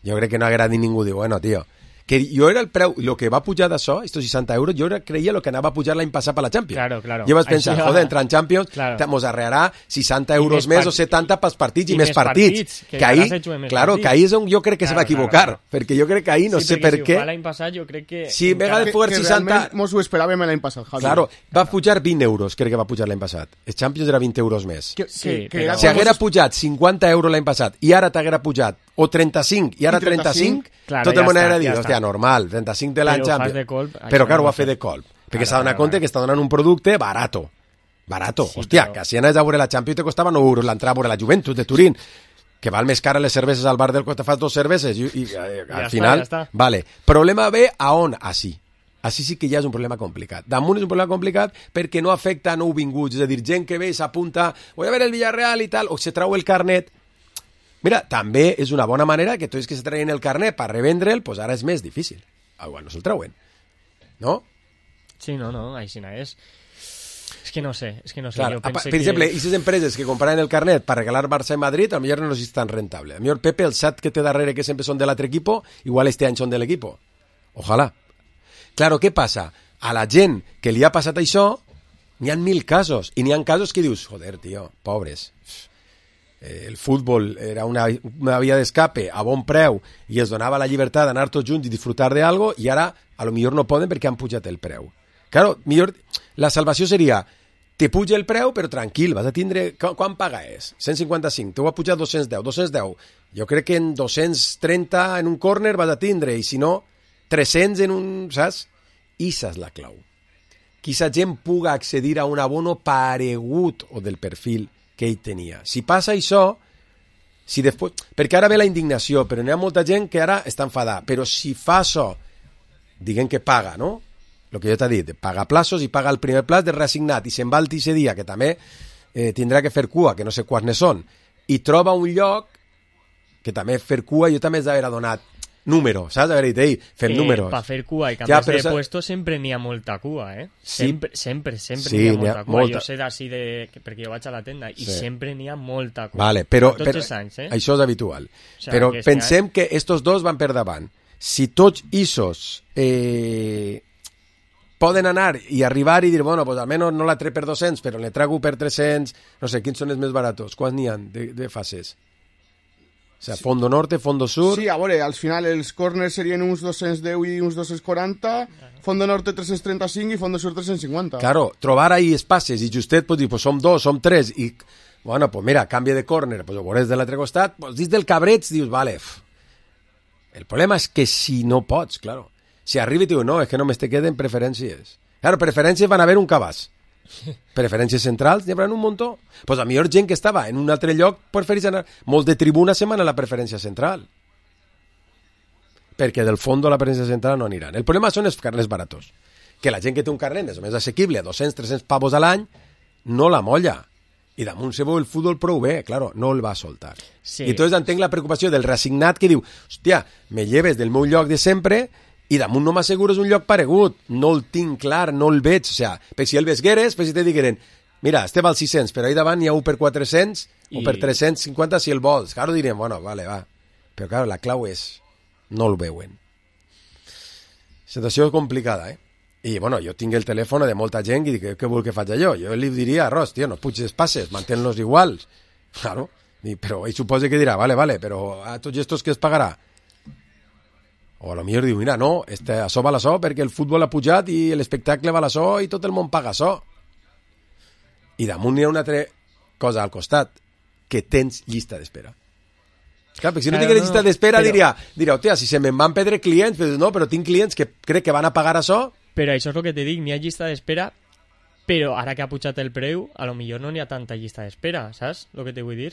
Jo crec que no haguera dit ningú, diu, bueno, tio, que jo era el preu, el que va pujar d'això, estos seixanta euros, jo era, creia el que anava a pujar l'any passat per la Champions. Claro, claro. Jo vaig pensar, Així va. joder, entrar en Champions, Claro. mos arrearà seixanta euros més més part- o setanta pels partits i, i més més partits. partits, que que ahí, hauràs hecho més claro, partits. que ahí és on jo crec que se va Claro, claro, equivocar, claro. perquè jo crec que ahí no sí, sé perquè per si què. ho fa l'any passat, jo crec que... Sí, en vez de Que, poder que seixanta... realment mos ho esperàvem l'any passat, Javi. Claro, va pujar vint euros, crec que va pujar l'any passat. Els Champions era vint euros més. Que, Sí, que, que però- era Si com haguera mos- pujat cinquanta euros l'any passat i ara t'haguera pujat o trenta-cinc i ara I trenta-cinc, trenta-cinc, claro, tot el ja món està, haguera dit, ja hòstia, està. normal, trenta-cinc de l'any Però ho fas Champions. de colp, això Però, no claro, ho ho va ha fet fer. de colp. Perquè Claro, s'ha donat claro, compte claro. que està donant un producte barato. Barato. Sí, Hòstia, però- que si anaves a veure la Champions te costava nou euros l'entrada a veure la Juventus de Turín, que val més cara les cerveses al bar del que te fas dos cerveses i, i eh, Ja al està, final... ja està. Vale. Problema ve a on? Així. Així sí que ja és un problema complicat. Damunt és un problema complicat perquè no afecta a nouvinguts, és a dir, gent que ve i s'apunta, voy a ver el Villarreal i tal, o se trau el carnet. Mira, també és una bona manera que tots que se traien el carnet per revendre'l, pues ara és més difícil. Ah, bueno, se'l trauen. No? Sí, no, no, així no és. És que no sé, és que no sé. Clar, jo apa, pense per exemple, que... aquestes empreses que compraran el carnet per regalar Barça i Madrid, a lo millor no és tan rentable. A lo millor Pepe, el set que té darrere, que sempre són de l'altre equipo, igual este any són de l'equipo. Ojalà. Claro, què passa? A la gent que li ha passat això, n'hi ha mil casos. I n'hi ha casos que dius, joder, tio, pobres. Eh, el futbol era una, una via d'escape a bon preu i es donava la llibertat d'anar tots junts i disfrutar d'algo i ara a lo millor no poden perquè han pujat el preu. Claro, millor, la salvació seria te puja el preu, però tranquil, vas a tindre... Qu quan paga és? cent cinquanta-cinc, t'ho va pujar dos-cents deu, dos-cents deu. Jo crec que en dos-cents trenta en un córner vas a tindre, i si no, tres-cents en un... Saps? Issa és la clau. Que aquesta gent puga accedir a un abono paregut o del perfil que ell tenia. Si passa això, si després... perquè ara ve la indignació, però n'hi ha molta gent que ara està enfadada. Però si fa això, diguem que paga, no? El que jo t'he dit, paga plaços i paga el primer plaç de reassignat i se'n va al tercer dia, que també eh, tindrà que fer cua, que no sé quants ne són, i troba un lloc que també fer cua, jo també has d'haver donat número, saps? Haver dit, ei, fem eh, números. Per fer cua i Ja, canviar però de sa- puesto sempre n'hi ha molta cua, eh? Sí. Sempre, sempre, sempre Sí, n'hi ha n'hi ha molta cua. molta. Jo sé d'ací de... que- perquè jo vaig a la tenda i Sí. sempre n'hi ha molta cua. Vale, però, Tots però els anys, eh? això és habitual. O sea, però que este pensem que estos dos van per davant. Si tots issos eh, poden anar i arribar i dir, bueno, pues almenys no la trec per dos-cents, però le trago per tres-cents, no sé, quins són els més baratos? Quants n'hi ha de, de fases? O sea, fondo norte, fondo sur... Sí, a veure, al final els corners serien uns dos-cents deu i uns dos-cents quaranta, fondo norte tres-cents trenta-cinc i fondo sur tres-cents cinquanta. Claro, trobar ahí espaces i justet pues dir, pues som dos, som tres i, bueno, pues mira, canvia de córner, pues ho veuràs de l'altre costat, pues dins del cabreig dius, vale, f. El problema és que si no pots, claro, si arriba i diu, no, és que només te queden preferències. Claro, preferències van haver un cabàs. Preferències centrals n'hi haurà un muntó. Pues a millor gent que estava en un altre lloc preferís anar, molts de tribuna se'n van a la preferència central. Perquè del fons la preferència central no aniran. El problema són els carnets baratos. Que la gent que té un carnet més o més assequible a dos-cents tres-cents pavos a l'any no la molla. I damunt se veu el futbol prou bé, claro, no el va soltar. Sí. I entonces entenc la preocupació del reassignat que diu, hòstia, me lleves del meu lloc de sempre i damunt no m'assegures un lloc paregut, no el tinc clar, no el veig, o sea, per si el vesgueres, per si te digueren, mira, este val sis-cents, però ahí davant hi ha un per quatre-cents I... o per tres-cents cinquanta si el vols. Claro, direm, bueno, vale, va. Però claro, la clau és, no el veuen. Situació complicada, eh? I, bueno, jo tinc el telèfon de molta gent i dic, què vol que faig jo? Jo li diria, Ros, tio, no puges passes, mantén-los iguals. Claro, I, però ell suposa que dirà, vale, vale, però a tots estos que es pagarà? O a lo millor diu, mira, no, este, això val això perquè el futbol ha pujat i l'espectacle val això i tot el món paga això. I damunt hi ha una altra cosa al costat, que tens llista d'espera. Clar, perquè si no Claro, tingués no, llista d'espera però... diria, diria, hòstia, si se me'n van perdre clients, però no, però tinc clients que crec que van a pagar això. Però això és el que te dic, n'hi ha llista d'espera, però ara que ha pujat el preu, a lo millor no n'hi ha tanta llista d'espera, saps? El que te vull dir?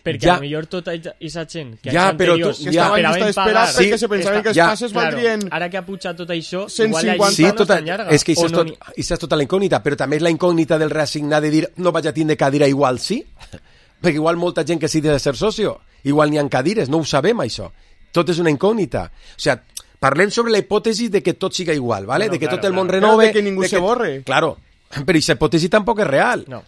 Perquè Ja. a lo millor tota aquesta gent que Ja, anys però tu- anteriors Que estava en llista d'espera Sí, perquè se pensaven que els ja, passes Claro, valdrien... ara que ha pujat tot això, cent igual la cinquanta. Sí, llista no tota, és tan llarga. és que això O és, no tot, n'hi- això és tota la incògnita, però també és la incògnita del reassignat de dir no vaig a tindre cadira, igual sí, perquè igual molta gent que sí de ser socio, igual n'hi ha cadires, no ho sabem això, tot és una incògnita. O sigui, parlem sobre la hipòtesi de que tot siga igual, ¿vale? Bueno, de que claro, tot el món claro. renove... Claro, de que ningú se borre. Claro, Però aquesta hipòtesi tampoc és real. No.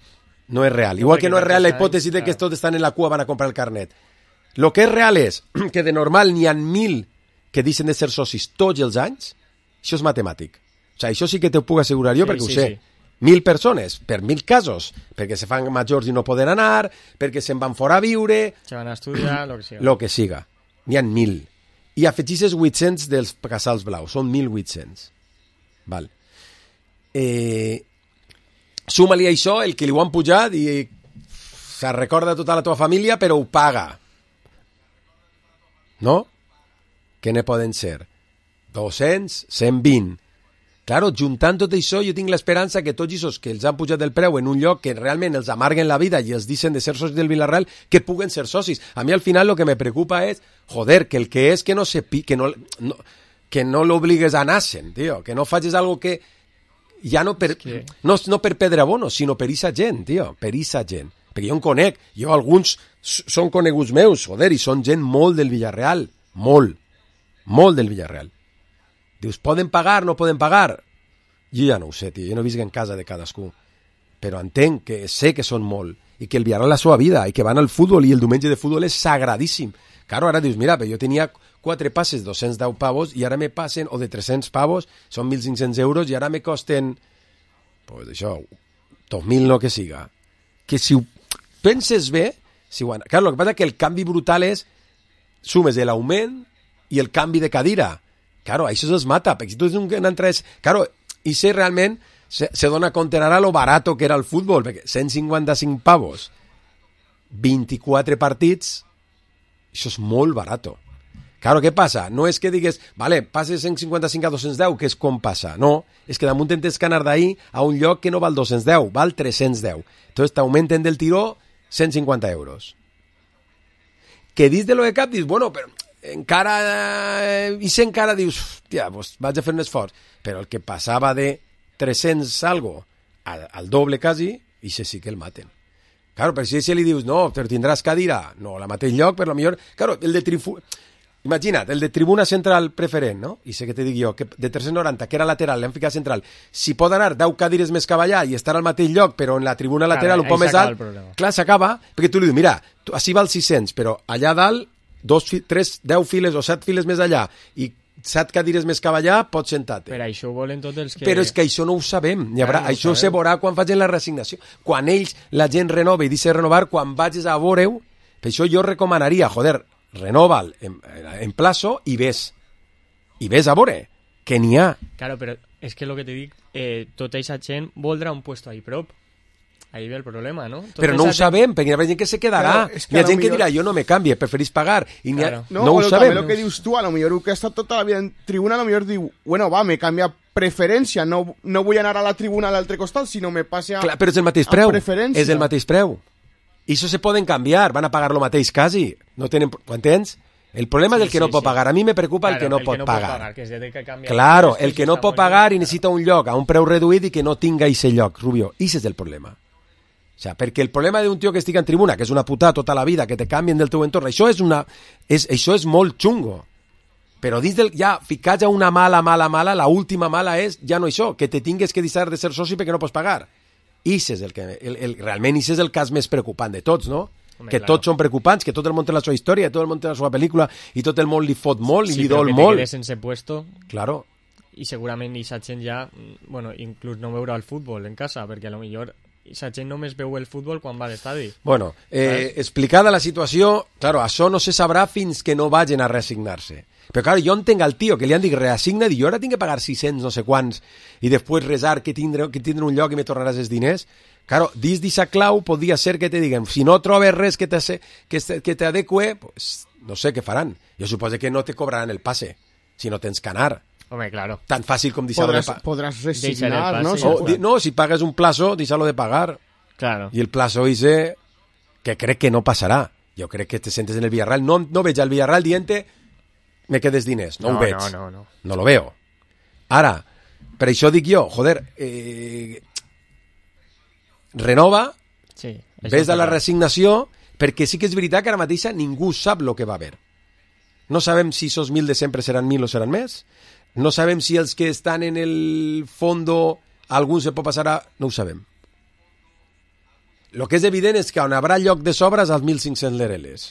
No és real. Igual que no és real la hipòtesi de que tots estan en la cua van a comprar el carnet. Lo que és real és que de normal n'hi ha mil que deixen de ser socis tots els anys. Això és matemàtic. O sigui, això sí que t'ho puc assegurar jo, Sí, perquè sí, ho sé. sí. Mil persones, per mil casos, perquè se fan majors i no poden anar, perquè se'n van fora a viure, Se van a estudiar, lo que sigui. lo que siga. N'hi ha mil. I afegixes vuit-cents dels casals blaus, són mil vuit-cents. Val. Eh, Suma-li a això el que li ho han pujat i se recorda tota la teva família, però ho paga. No? Què ne poden ser? dos-cents, cent vint. Claro, juntant tot això, jo tinc l'esperança que tots aquests que els han pujat el preu en un lloc que realment els amarguen la vida i els deixen de ser socis del Villarreal, que puguen ser socis. A mi al final lo que me preocupa és, joder, que el que és que no se pi, que no, no, que no l'obligues a anar-se'n, tio, que no facis algo que ja no per, que... no, no per pedre bono, sinó per issa gent, tio, per issa gent. Perquè jo en conec, jo alguns són coneguts meus, joder, i són gent molt del Villarreal, molt, molt del Villarreal. Dius, poden pagar, no poden pagar? Jo ja no ho sé, tio, jo no visc en casa de cadascú. Però entenc que sé que són molt, i que el Villarreal és la seva vida, i que van al futbol, i el diumenge de futbol és sagradíssim. Claro, ara dius, mira, però jo tenia quatre passes, dos-cents deu pavos, i ara me passen, o de tres-cents pavos, són mil cinc-cents euros, i ara me costen, pues això, dos mil no que siga. Que si ho penses bé, si ho... Claro, el que passa és que el canvi brutal és, sumes l'augment i el canvi de cadira. Claro, això es mata, perquè si tu un entres... Claro, i si realment se, se dona compte ara lo barato que era el futbol, perquè cent cinquanta-cinc pavos, vint-i-quatre partits, això és molt barato. Claro, què passa? No és que digues, vale, passes cent cinquanta-cinc a dos-cents deu, que és com passa. No, és que damunt tens que anar d'ahir a un lloc que no val dos-cents deu, val tres-cents deu. Entonces t'augmenten del tiró cent cinquanta euros. Que dins de lo de cap dius, bueno, però encara, eh, i si encara dius, hòstia, pues vaig a fer un esforç, però el que passava de tres-cents algo al, al doble quasi, i se sí que el maten. Claro, però si, si li dius, no, però tindràs cadira, no, a la mateix lloc, per lo millor, claro, el de trifu... Imagina't, el de tribuna central preferent, no? I sé que te dic jo, que de tres-cents noranta, que era lateral, l'hem ficat central, si pot anar deu cadires més que allà i estar al mateix lloc, però en la tribuna lateral claro, un poc més alt, clar, s'acaba, perquè tu li dius, mira, tu, així val sis-cents, però allà dalt, dos, tres, deu files o set files més allà, i set cadires més que allà, pots sentar-te. Per això ho volen tots els que... Però és que això no ho sabem. Hi haurà, Clar, no això sabem. se veurà quan facin la resignació. Quan ells, la gent renova i deixa renovar, quan vagis a veure-ho, per això jo recomanaria, joder, renova'l en, en plazo i ves. I ves a veure, que n'hi ha. Claro, però és que el que te dic, eh, tota aquesta gent voldrà un puesto ahí prop. Ahí ve el problema, ¿no? Tota Però no ho esa gent- sabem, perquè hi ha gent que se quedarà. Claro, és que Hi ha a lo gent que millor- dirà, jo no me canvie, preferís pagar. I n'hi ha... Claro. No, no ho bueno, sabem. també lo que dius tu, a lo millor que ha estat tota la vida en tribuna, a lo millor diu, bueno, va, me canvia preferència, no, no vull anar a la tribuna a l'altre costat, sinó me passe a... Clar, però és el mateix a preu. preferència. És el mateix preu. I això se poden canviar, van a pagar lo mateix quasi. No tenen... Ho entens? El problema Sí, és el que sí, no pot sí. pagar. A mi me preocupa el Claro, que no el pot que no pagar. pot pagar, que es de que canvia Claro, després, el que no està pot molt pagar bé, i necessita un lloc a un preu reduït i que no tinga ese lloc, Rubio. I ese és el problema. O sea, perquè el problema d'un tio que estigui en tribuna, que és una putada tota la vida, que te canvien del teu entorn, això és, una, és, això és molt xungo. Però dins del, ja, ficats a una mala, mala, mala, la última mala és ja no això, que te tingues que deixar de ser soci perquè no pots pagar. Ix és el que, el, el, realment ix és el cas més preocupant de tots, no? Home, que claro. tots són preocupants, que tot el món té la seva història, tot el món té la seva pel·lícula, i tot el món li fot molt, i Sí, li però dol que te molt. quedes sense puesto Claro. i segurament aquesta gent ja, mm, bueno, inclús no veurà el futbol en casa, perquè a lo millor aquesta gent només veu el futbol quan va a l'estadi. Bueno, eh, explicada la situació, claro, això no se sabrà fins que no vagin a reassignar-se. Però, claro, jo entenc al tio que li han dit reassigna't i jo ara tinc que pagar sis-cents no sé quants i després resar que tindré, que tindré un lloc i me tornaràs els diners. Claro, dins d'aquesta clau podria ser que te diguen si no trobes res que t'adecue, que, que t'adeque, pues, no sé què faran. Jo suposo que no te cobraran el passe si no tens que anar. Home, claro. Tan fàcil com deixar-lo de Podràs, pagar. podràs Deixar resignar, el no? passe, Si O, puc- di- no, si pagues un plazo, deixar-lo de pagar. Claro. I el plazo ese, que crec que no passarà. Jo crec que te sentes en el Villarreal. No, no veig al Villarreal dient me quedes diners. No, No, ho veig. no, no, no. No lo veo. Ara, per això dic jo, joder, eh, renova, Sí. això ves a la farà. resignació, perquè sí que és veritat que ara mateixa ningú sap el que va haver. No sabem si esos mil de sempre seran mil o seran més. No sabem si els que estan en el fondo algú se pot passar a... No ho sabem. El que és evident és que on haurà lloc de sobres als mil cinc-cents lereles.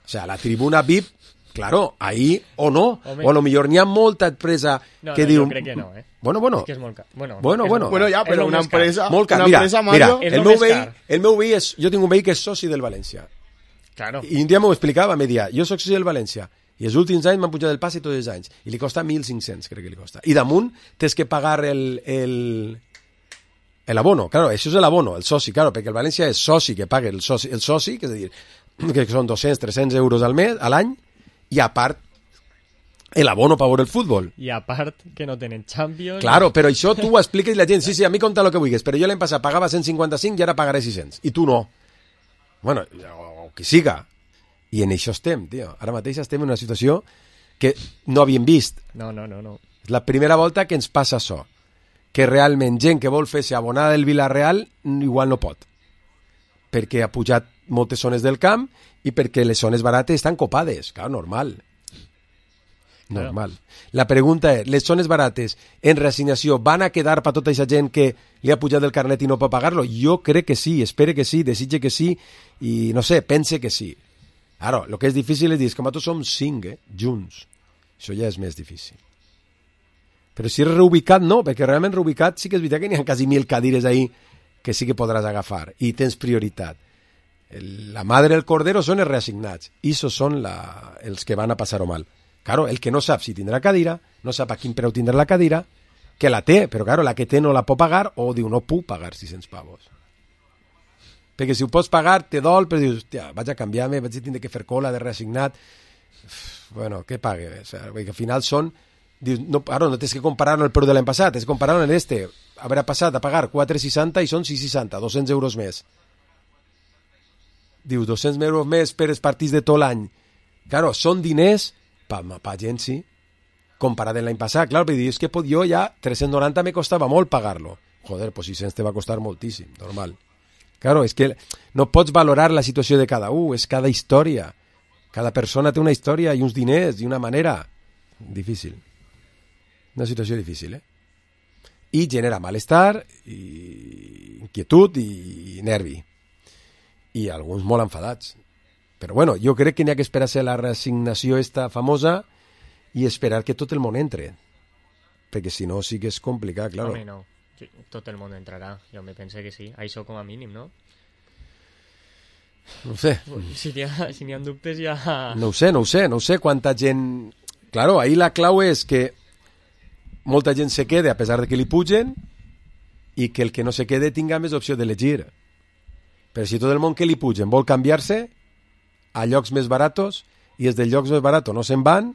O sea, la tribuna V I P, claro, ahí o no. Home. O a lo millor n'hi ha molta empresa no, que no, diu... Jo crec que no, eh? Bueno, bueno. És que és molt car. Bueno, bueno, és bueno. Molt... bueno, ja, però una empresa... Molt car. Una Mira, empresa, mira, Mario, el meu, veí, el meu veí és... Jo tinc un veí que és soci del València. Claro. I un dia m'ho explicava, me dia, jo soc soci del València, i els últims anys m'han pujat el passe tots els anys, i li costa mil cinc-cents, crec que li costa. I damunt tens que pagar el... el el abono, claro, això és l'abono, el soci, claro, perquè el València és soci que paga el soci, el soci, que és a dir, que són dos-cents, tres-cents euros al mes, a l'any, i a part el abono per veure el futbol. I a part que no tenen Champions... Claro, però això tu ho expliques i la gent, sí, sí, a mi compta el que vulguis, però jo l'any passat pagava cent cinquanta-cinc i ara pagaré sis-cents, i tu no. Bueno, o que siga. I en això estem, tio. Ara mateix estem en una situació que no havíem vist. No, no, no, no. És la primera volta que ens passa això. Que realment gent que vol fer-se abonada del Villarreal igual no pot. Perquè ha pujat moltes zones del camp i perquè les zones barates estan copades. Clar, normal. Normal. La pregunta és, les zones barates en reassignació van a quedar per tota aquesta gent que li ha pujat el carnet i no pot pagar-lo? Jo crec que sí, espere que sí, desitge que sí i no sé, pense que sí. Ara, el que és difícil és dir, com a tots som cinc, eh, junts. Això ja és més difícil. Però si és reubicat, no, perquè realment reubicat sí que és veritat que n'hi ha quasi mil cadires ahí que sí que podràs agafar i tens prioritat. El, la madre del cordero són els reassignats i això són la, els que van a passar-ho mal. Claro, el que no sap si tindrà cadira, no sap a quin preu tindrà la cadira, que la té, però claro, la que té no la pot pagar o diu no puc pagar sis-cents pavos. Perquè si ho pots pagar te dol, però dius, hòstia, vaig a canviar-me, vaig a tindre que fer cola de reassignat. Bueno, què pague? O sea, perquè al final són... Dius, no, ara no tens que comparar-lo el preu de l'any passat, tens que comparar-lo en este. Haurà passat a pagar quatre seixanta i són sis seixanta, dos-cents euros més. Dius, dos-cents euros més per els partits de tot l'any. Claro, són diners pa, pa gent, sí. Comparat amb l'any passat, clar, perquè dius que pot, jo ja tres-cents noranta me costava molt pagar-lo. Joder, pues sis-cents te va costar moltíssim, normal. Claro, és que no pots valorar la situació de cada un, és cada història. Cada persona té una història i uns diners i una manera. Difícil. Una situació difícil, eh? I genera malestar, i inquietud i nervi. I alguns molt enfadats. Però bueno, jo crec que n'hi ha que esperar-se la reassignació esta famosa i esperar que tot el món entre. Perquè si no sí que és complicat, claro. Home, no. Sí, tot el món entrarà. Jo me pense que sí. Això com a mínim, no? No ho sé. Si n'hi ha, si n'hi ha dubtes ja... No ho sé, no ho sé. No ho sé quanta gent... Claro, ahí la clau és que molta gent se quede a pesar de que li pugen i que el que no se quede tinga més opció d'elegir. Però si tot el món que li pugen vol canviar-se a llocs més baratos i els dels llocs més baratos no se'n van,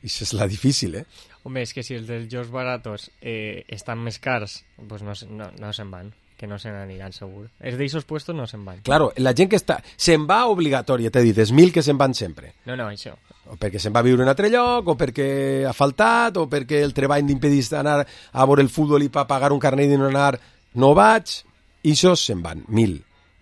això és la difícil, eh? Home, és que si els dels llocs baratos eh, estan més cars, pues no, no, no se'n van. Que no se n'aniran, segur. Els d'eixos puestos no se'n van. Claro, la gent que està... Se'n va obligatòria, t'he dit, és mil que se'n van sempre. No, no, això. O perquè se'n va a viure en un altre lloc, o perquè ha faltat, o perquè el treball n'impedís anar a veure el futbol i per pagar un carnet i no anar, no vaig. I això se'n van, mil.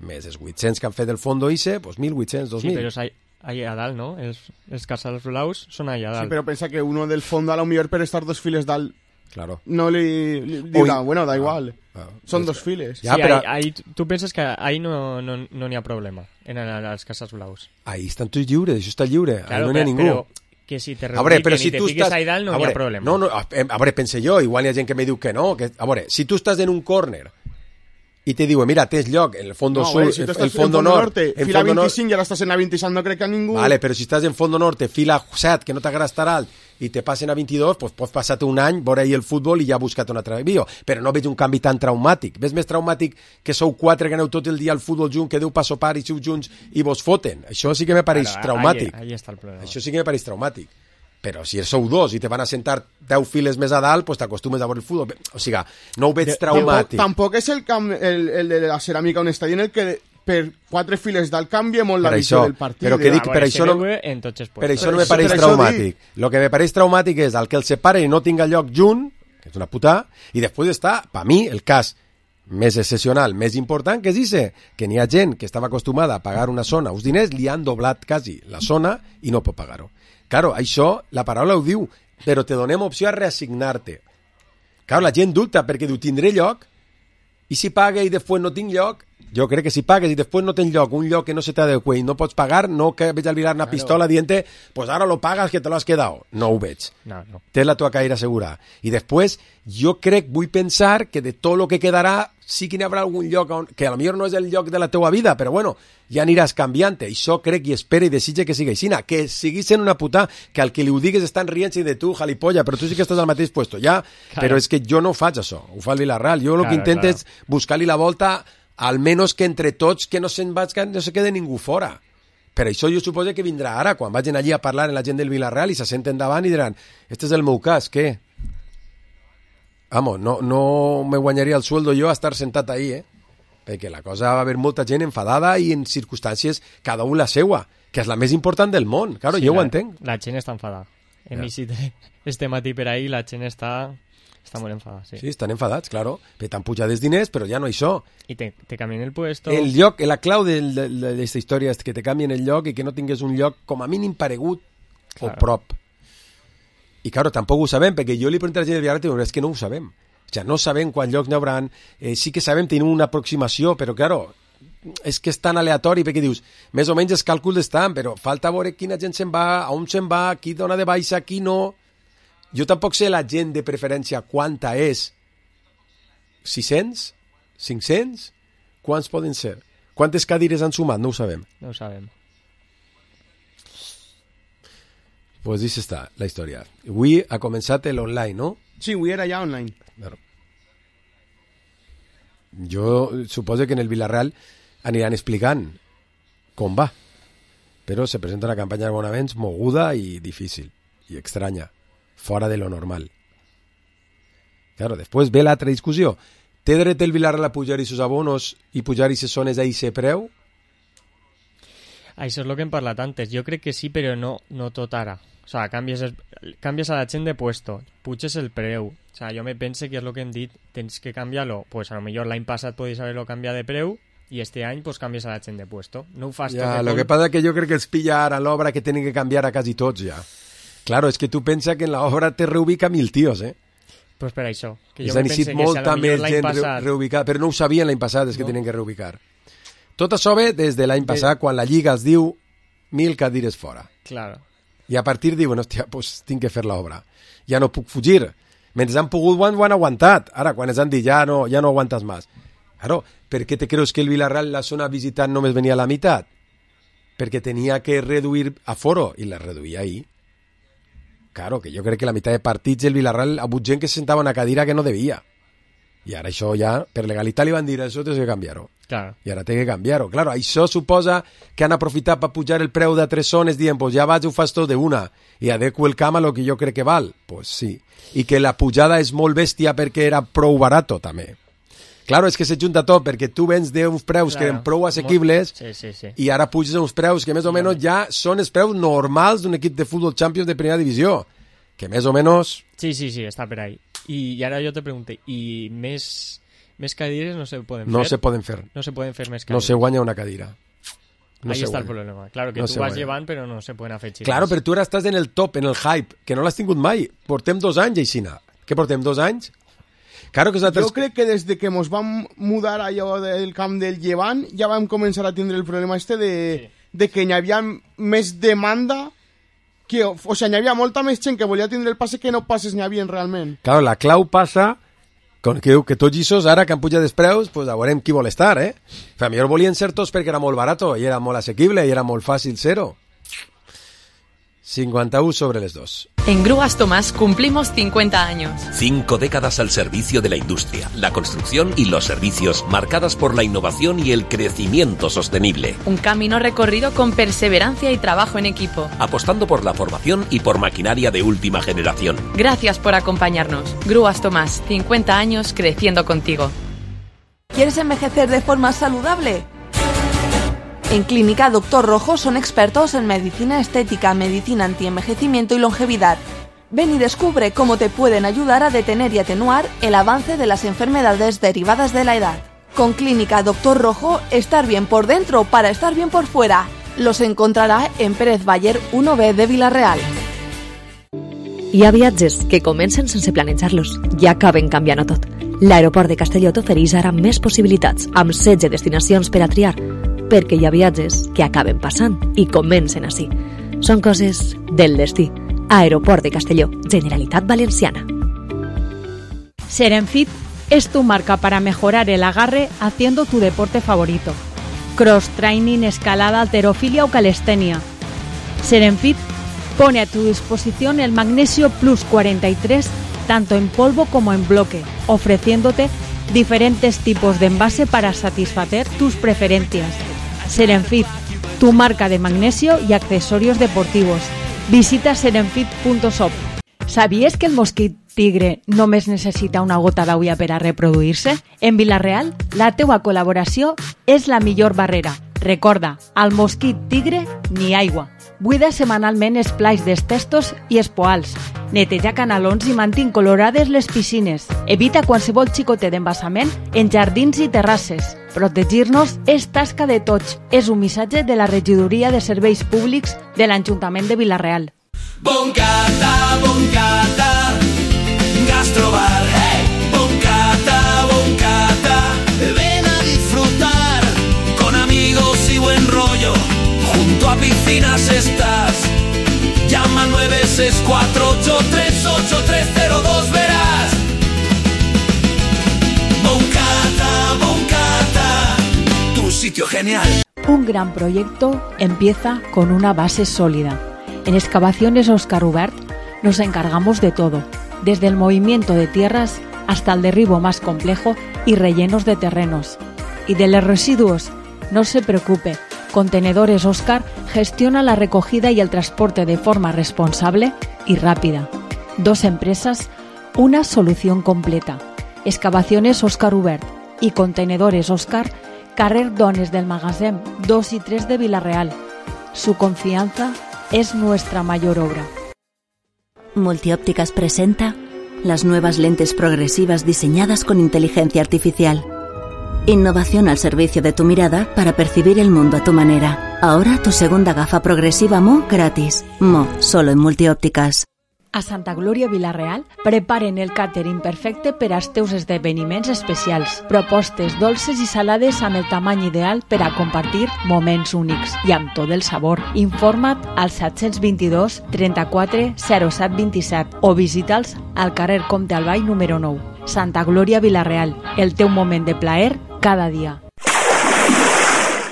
Més els vuit-cents que han fet el fondo I C E, doncs mil vuit-cents, dos mil. Sí, però és allà a dalt, no? Els, els casals blaus són allà a dalt. Sí, pero pensa que uno del fondo a lo mejor per estar dos files dalt Claro. no li, li dirà, bueno, da igual. Ah, Són és dos que- files. Ja, sí, però- ahí, ahí, tu penses que ahí no n'hi no, no n'hi ha problema, en els casals blaus. Ahí estan tots lliures, això està lliure, ahí no n'hi ha però, ningú. però que si te A veure, però reubiquen si i te tu fiques estàs... ahí dalt no a n'hi ha veure, problema. No, no, a, a veure, pense jo, igual hi ha gent que me diu que no. Que, a veure, si tu estàs en un córner i te diuen, mira, tens lloc en el fondo No, sur, bueno, si tu el, estàs el fondo, en fondo nord, norte, en fila fondo nord- vint-i-cinc i ara estàs en la vint-i-set, no crec que a ningú... Vale, però si estàs en fondo norte, fila set, que no t'agrada estar alt, i te passen a vint-i-dos, pues pots passar-te un any, veure ahir el futbol i ja buscat un altre vídeo. Però no veig un canvi tan traumàtic. Ves més traumàtic que sou quatre que aneu tot el dia al futbol junt, que deu pa sopar i sou junts i vos foten. Això sí que me pareix Claro, traumàtic. Ahí, ahí està el problema. Això sí que me pareix traumàtic. Però si sou dos i te van a sentar deu files més a dalt, pues t'acostumes a veure el futbol. O sigui, no ho veig Tampoc, traumàtic. tampoc és el, camp, el, el de la ceràmica on està dient el que per quatre files dalt canvia molt la Per visió això, del partit. però que eh? dic, A per veure, això se no- veu en tots els Per puestos. això no me això- pareix per això traumàtic. El que me pareix traumàtic és el que el separe i no tinga lloc junt, que és una puta, i després està, per mi, el cas més excepcional, més important, que és ese, que n'hi ha gent que estava acostumada a pagar una zona, uns diners, li han doblat quasi la zona i no pot pagar-ho. Claro, això, la paraula ho diu, però te donem opció a reassignar-te. Clar, la gent dubta perquè diu, tindré lloc, i si paga i després no tinc lloc, jo crec que si pagues i després no tens lloc, un lloc que no se t'adequa i no pots pagar, no que veig al Vilar una pistola dient pues ara lo pagas que te lo has quedado. No ho veig. No, no. Tens la tua caire assegurada. I després, jo crec, vull pensar que de tot el que quedarà sí que n'hi haurà algun lloc on, que potser no és el lloc de la teua vida, però bueno, ja aniràs canviant. I això crec i espero i desitge que sigui així. Que sigui sent una puta, que al que li ho digues estan rient-se de tu, jalipolla, però tu sí que estàs al mateix puesto, ja. Claro. Però és que jo no ho faig això, ho fa el Villarreal. Jo el claro, que intento claro. és buscar-li la volta, almenys que entre tots que no se'n vaig, que no se quede ningú fora. Per això jo suposo que vindrà ara, quan vagin allí a parlar amb la gent del Villarreal i se senten davant i diran, este és el meu cas, què? Vamos, no, no me guanyaria el sueldo jo a estar sentat ahí, eh? Perquè la cosa va haver molta gent enfadada i en circumstàncies cada un la seua, que és la més important del món. Claro, sí, jo la, ho entenc. La gent està enfadada. Hem llegit este matí per ahí, la gent està, està molt enfadada. Sí. sí, estan enfadats, claro. T'han pujat els diners, però ja no això. I te, te canvien el puesto. El lloc, la clau d'aquesta història és que te canvien el lloc i que no tingués un lloc com a mínim paregut claro. o prop. I, claro, tampoc ho sabem, perquè jo li pregunto a la gent del Villarreal, és que no ho sabem. O sigui, no sabem quants llocs n'hi haurà, eh, sí que sabem, tenim una aproximació, però, claro, és que és tan aleatori, perquè dius, més o menys els càlculs estan, però falta veure quina gent se'n va, a on se'n va, qui dona de baixa, qui no. Jo tampoc sé la gent de preferència quanta és. sis-cents? cinc-cents? Quants poden ser? Quantes cadires han sumat? No ho sabem. No ho sabem. Pues així està la història. Avui ha començat l'online, no? Sí, avui era ja online. Claro. Jo suposo que en el Villarreal aniran explicant com va, però se presenta una campanya d'abonaments moguda i difícil, i estranya, fora de lo normal. Claro, després ve l'altra discussió. Té dret el Villarreal a pujar aquests abonos i pujar aquestes zones a aquest preu? Això és el que hem parlat antes. Jo crec que sí, però no, no tot ara. O sea, canvies, el, canvies a la gent de puesto, puges el preu. O sea, jo me pense que és el que hem dit, tens que canviar-lo. Pues a lo millor l'any passat podies haver-lo canviat de preu i este any pues canvies a la gent de puesto. No ho fas ja, tot. Lo tot... que passa que jo crec que els pilla ara l'obra que tenen que canviar a quasi tots ja. Claro, és que tu pensa que en l'obra te reubica mil tios, eh? Pues per això. Que jo me pense que molta si més gent passat... reubicada, però no ho sabien l'any passat, és que no. tenen que reubicar. Tot això ve des de l'any passat, quan la Lliga es diu mil cadires fora. Claro. I a partir diuen, hòstia, pues tinc que fer l'obra. Ja no puc fugir. Mentre han pogut, ho han, ho han aguantat. Ara, quan ens han dit, ja no, ja no aguantes més. Claro, per què te creus que el Villarreal, la zona visitant, només venia a la meitat? Perquè tenia que reduir aforo, i la reduïa ahir. Claro, que jo crec que la meitat de partits el Villarreal ha hagut gent que se sentava en una cadira que no devia. I ara això ja, per legalitat li van dir, això té que canviar-ho. Claro. I ara té que canviar-ho. Claro, això suposa que han aprofitat per pujar el preu de tres zones dient, pues ja vaig, ho fas tot d'una i adequo el camp a lo que jo crec que val. Pues sí. I que la pujada és molt bèstia perquè era prou barato, també. Claro, és que se junta tot, perquè tu vens d'uns preus claro. que eren prou assequibles sí, sí, sí. i ara puges uns preus que més o menys ja són els preus normals d'un equip de futbol Champions de primera divisió. Que més o menys... Sí, sí, sí, està per ahí. I, i ara jo te pregunto, i més, més cadires no se poden fer? No se poden fer. No se poden fer més cadires. No se guanya una cadira. No Ahí está guanya. El problema. Claro, que no tu vas guanya. Llevant, però no se poden afegir. Claro, però tu ara estàs en el top, en el hype, que no l'has tingut mai. Portem dos anys, Aixina. Què portem, dos anys? Claro que altres... Jo crec que des de que ens vam mudar allò del camp del Llevant ja vam començar a tindre el problema este de, sí. de que hi havia més demanda que, o sigui, hi havia molta més gent que volia tindre el passe que no passes n'hi havia realment. Claro, la clau passa con que, que tots aquests ara que han pujat els preus, pues a veurem qui vol estar, eh? A millor volien ser tots perquè era molt barato i era molt assequible i era molt fàcil ser-ho. cincuenta y uno sobre les dos. En Grúas Tomás cumplimos cincuenta años. Cinco décadas al servicio de la industria, la construcción y los servicios, marcadas por la innovación y el crecimiento sostenible. Un camino recorrido con perseverancia y trabajo en equipo. Apostando por la formación y por maquinaria de última generación. Gracias por acompañarnos. Grúas Tomás, cincuenta años creciendo contigo. ¿Quieres envejecer de forma saludable? En Clínica Doctor Rojo son expertos en medicina estética, medicina antienvejecimiento y longevidad. Ven y descubre cómo te pueden ayudar a detener y atenuar el avance de las enfermedades derivadas de la edad. Con Clínica Doctor Rojo, estar bien por dentro para estar bien por fuera. Los encontrará en Pérez Bayer uno B de Villarreal. Hi ha viatges que comencen sense planejar-los i acaben canviant-ho tot. L'aeroport de Castelló t'ofereix ara més possibilitats, amb setze destinacions per a triar, perquè hi ha viatges que acaben passant i comencen així. Són coses del destí. Aeroport de Castelló, Generalitat Valenciana. Serenfit es tu marca para mejorar el agarre haciendo tu deporte favorito. Cross training, escalada, halterofilia o calistenia. Serenfit pone a tu disposición el Magnesio Plus cuarenta y tres tanto en polvo como en bloque, ofreciéndote diferentes tipos de envase para satisfacer tus preferencias. Serenfit, tu marca de magnesio y accesorios deportivos. Visita serenfit punto shop. ¿Sabías que el mosquit tigre només necessita una gota d'aigua per a reproduir-se? En Vila-real, la teua col·laboració és la millor barrera. Recorda, al mosquit tigre, ni aigua. Buida setmanalment els plais dels testos i els poals. Neteja canalons i mantén colorades les piscines. Evita qualsevol xicotet d'embassament en jardins i terrasses. Protegir-nos és tasca de tots. És un missatge de la Regidoria de Serveis Públics de l'Ajuntament de Vila-real. Boncata, boncata, gastrobar, hey. Boncata, boncata, ven a disfrutar con amigos y buen rollo. Junto a piscinas estás. Llama al nueve seis cuatro ocho tres ocho tres cero dos, verás. Boncata, boncata, tu sitio genial. Un gran proyecto empieza con una base sólida. En Excavaciones Óscar Ubert nos encargamos de todo, desde el movimiento de tierras hasta el derribo más complejo y rellenos de terrenos. Y de los residuos, no se preocupe, Contenedores Óscar gestiona la recogida y el transporte de forma responsable y rápida. Dos empresas, una solución completa. Excavaciones Óscar Ubert y Contenedores Óscar, carrer Dones del Magasin dos y tres de Vila-real. Su confianza es nuestra mayor obra. Multiópticas presenta las nuevas lentes progresivas diseñadas con inteligencia artificial. Innovación al servicio de tu mirada para percibir el mundo a tu manera. Ahora tu segunda gafa progresiva Mo gratis. Mo, solo en Multiópticas. A Santa Glòria Vila-real preparen el càtering perfecte per als teus esdeveniments especials. Propostes dolces i salades amb el tamany ideal per a compartir moments únics i amb tot el sabor. Informa't al set dos dos, trenta-quatre, zero set vint-i-set o visita'ls al carrer Comte Albay número nou. Santa Glòria Vila-real, el teu moment de plaer cada día.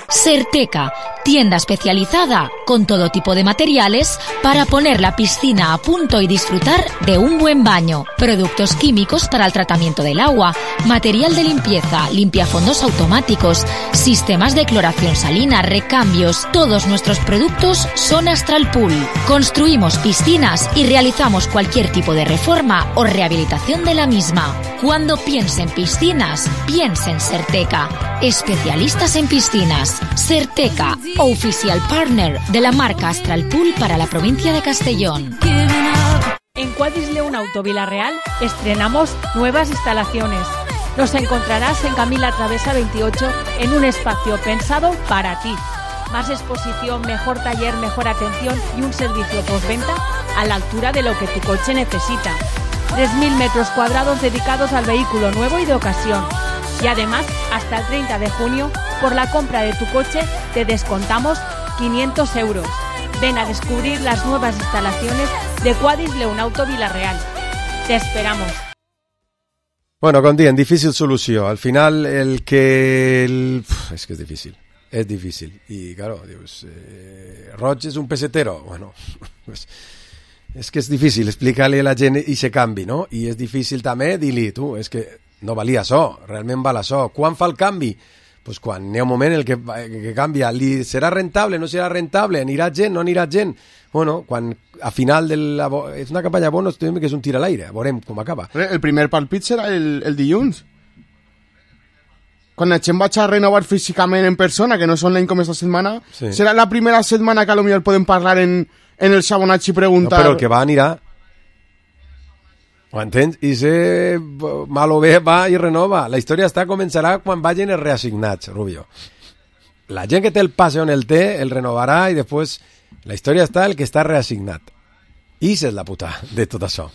Certeca, tienda especializada con todo tipo de materiales para poner la piscina a punto y disfrutar de un buen baño. Productos químicos para el tratamiento del agua, material de limpieza, limpiafondos automáticos, sistemas de cloración salina, recambios. Todos nuestros productos son Astral Pool. Construimos piscinas y realizamos cualquier tipo de reforma o rehabilitación de la misma. Cuando piense en piscinas, piense en Certeca. Especialistas en piscinas. Certeca, oficial partner de la marca Astral Pool para la provincia de Castellón. En Quadis León Auto Vila-real estrenamos nuevas instalaciones. Nos encontrarás en Camila Travesa veintiocho en un espacio pensado para ti. Más exposición, mejor taller, mejor atención y un servicio postventa a la altura de lo que tu coche necesita. tres mil metros cuadrados dedicados al vehículo nuevo y de ocasión. Y además, hasta el treinta de junio, por la compra de tu coche, te descontamos quinientos euros. Ven a descubrir las nuevas instalaciones de Quadis León Auto Vila-real. Te esperamos. Bueno, com dient, difícil solució. Al final, el que... El... Uf, és que és difícil. És difícil. I, claro, dius... Eh, Roig és un pesetero. Bueno, pues, és que és difícil explicar-li a la gent i se canvi, no? I és difícil també dir-li, tu, és que no valia això, realment val això. Quan fa el canvi? Pues quan hi ha un moment en el que, que canvia. Li serà rentable, no serà rentable? Anirà gent, no anirà gent? Bueno, quan a final de la... És una campanya bona, que és un tir a l'aire. Veurem com acaba. El primer palpit serà el, el dilluns. Quan la gent vaig a renovar físicament en persona, que no és online com esta setmana, sí. Serà la primera setmana que potser podem parlar en, en el xabonatge i preguntar... No, però el que va anirà... Ho entens? I si mal o bé va i renova. La història està començarà quan vagin els reassignats, Rubio. La gent que té el passe on el té, el renovarà i després la història està el que està reassignat. I és la puta de tot això.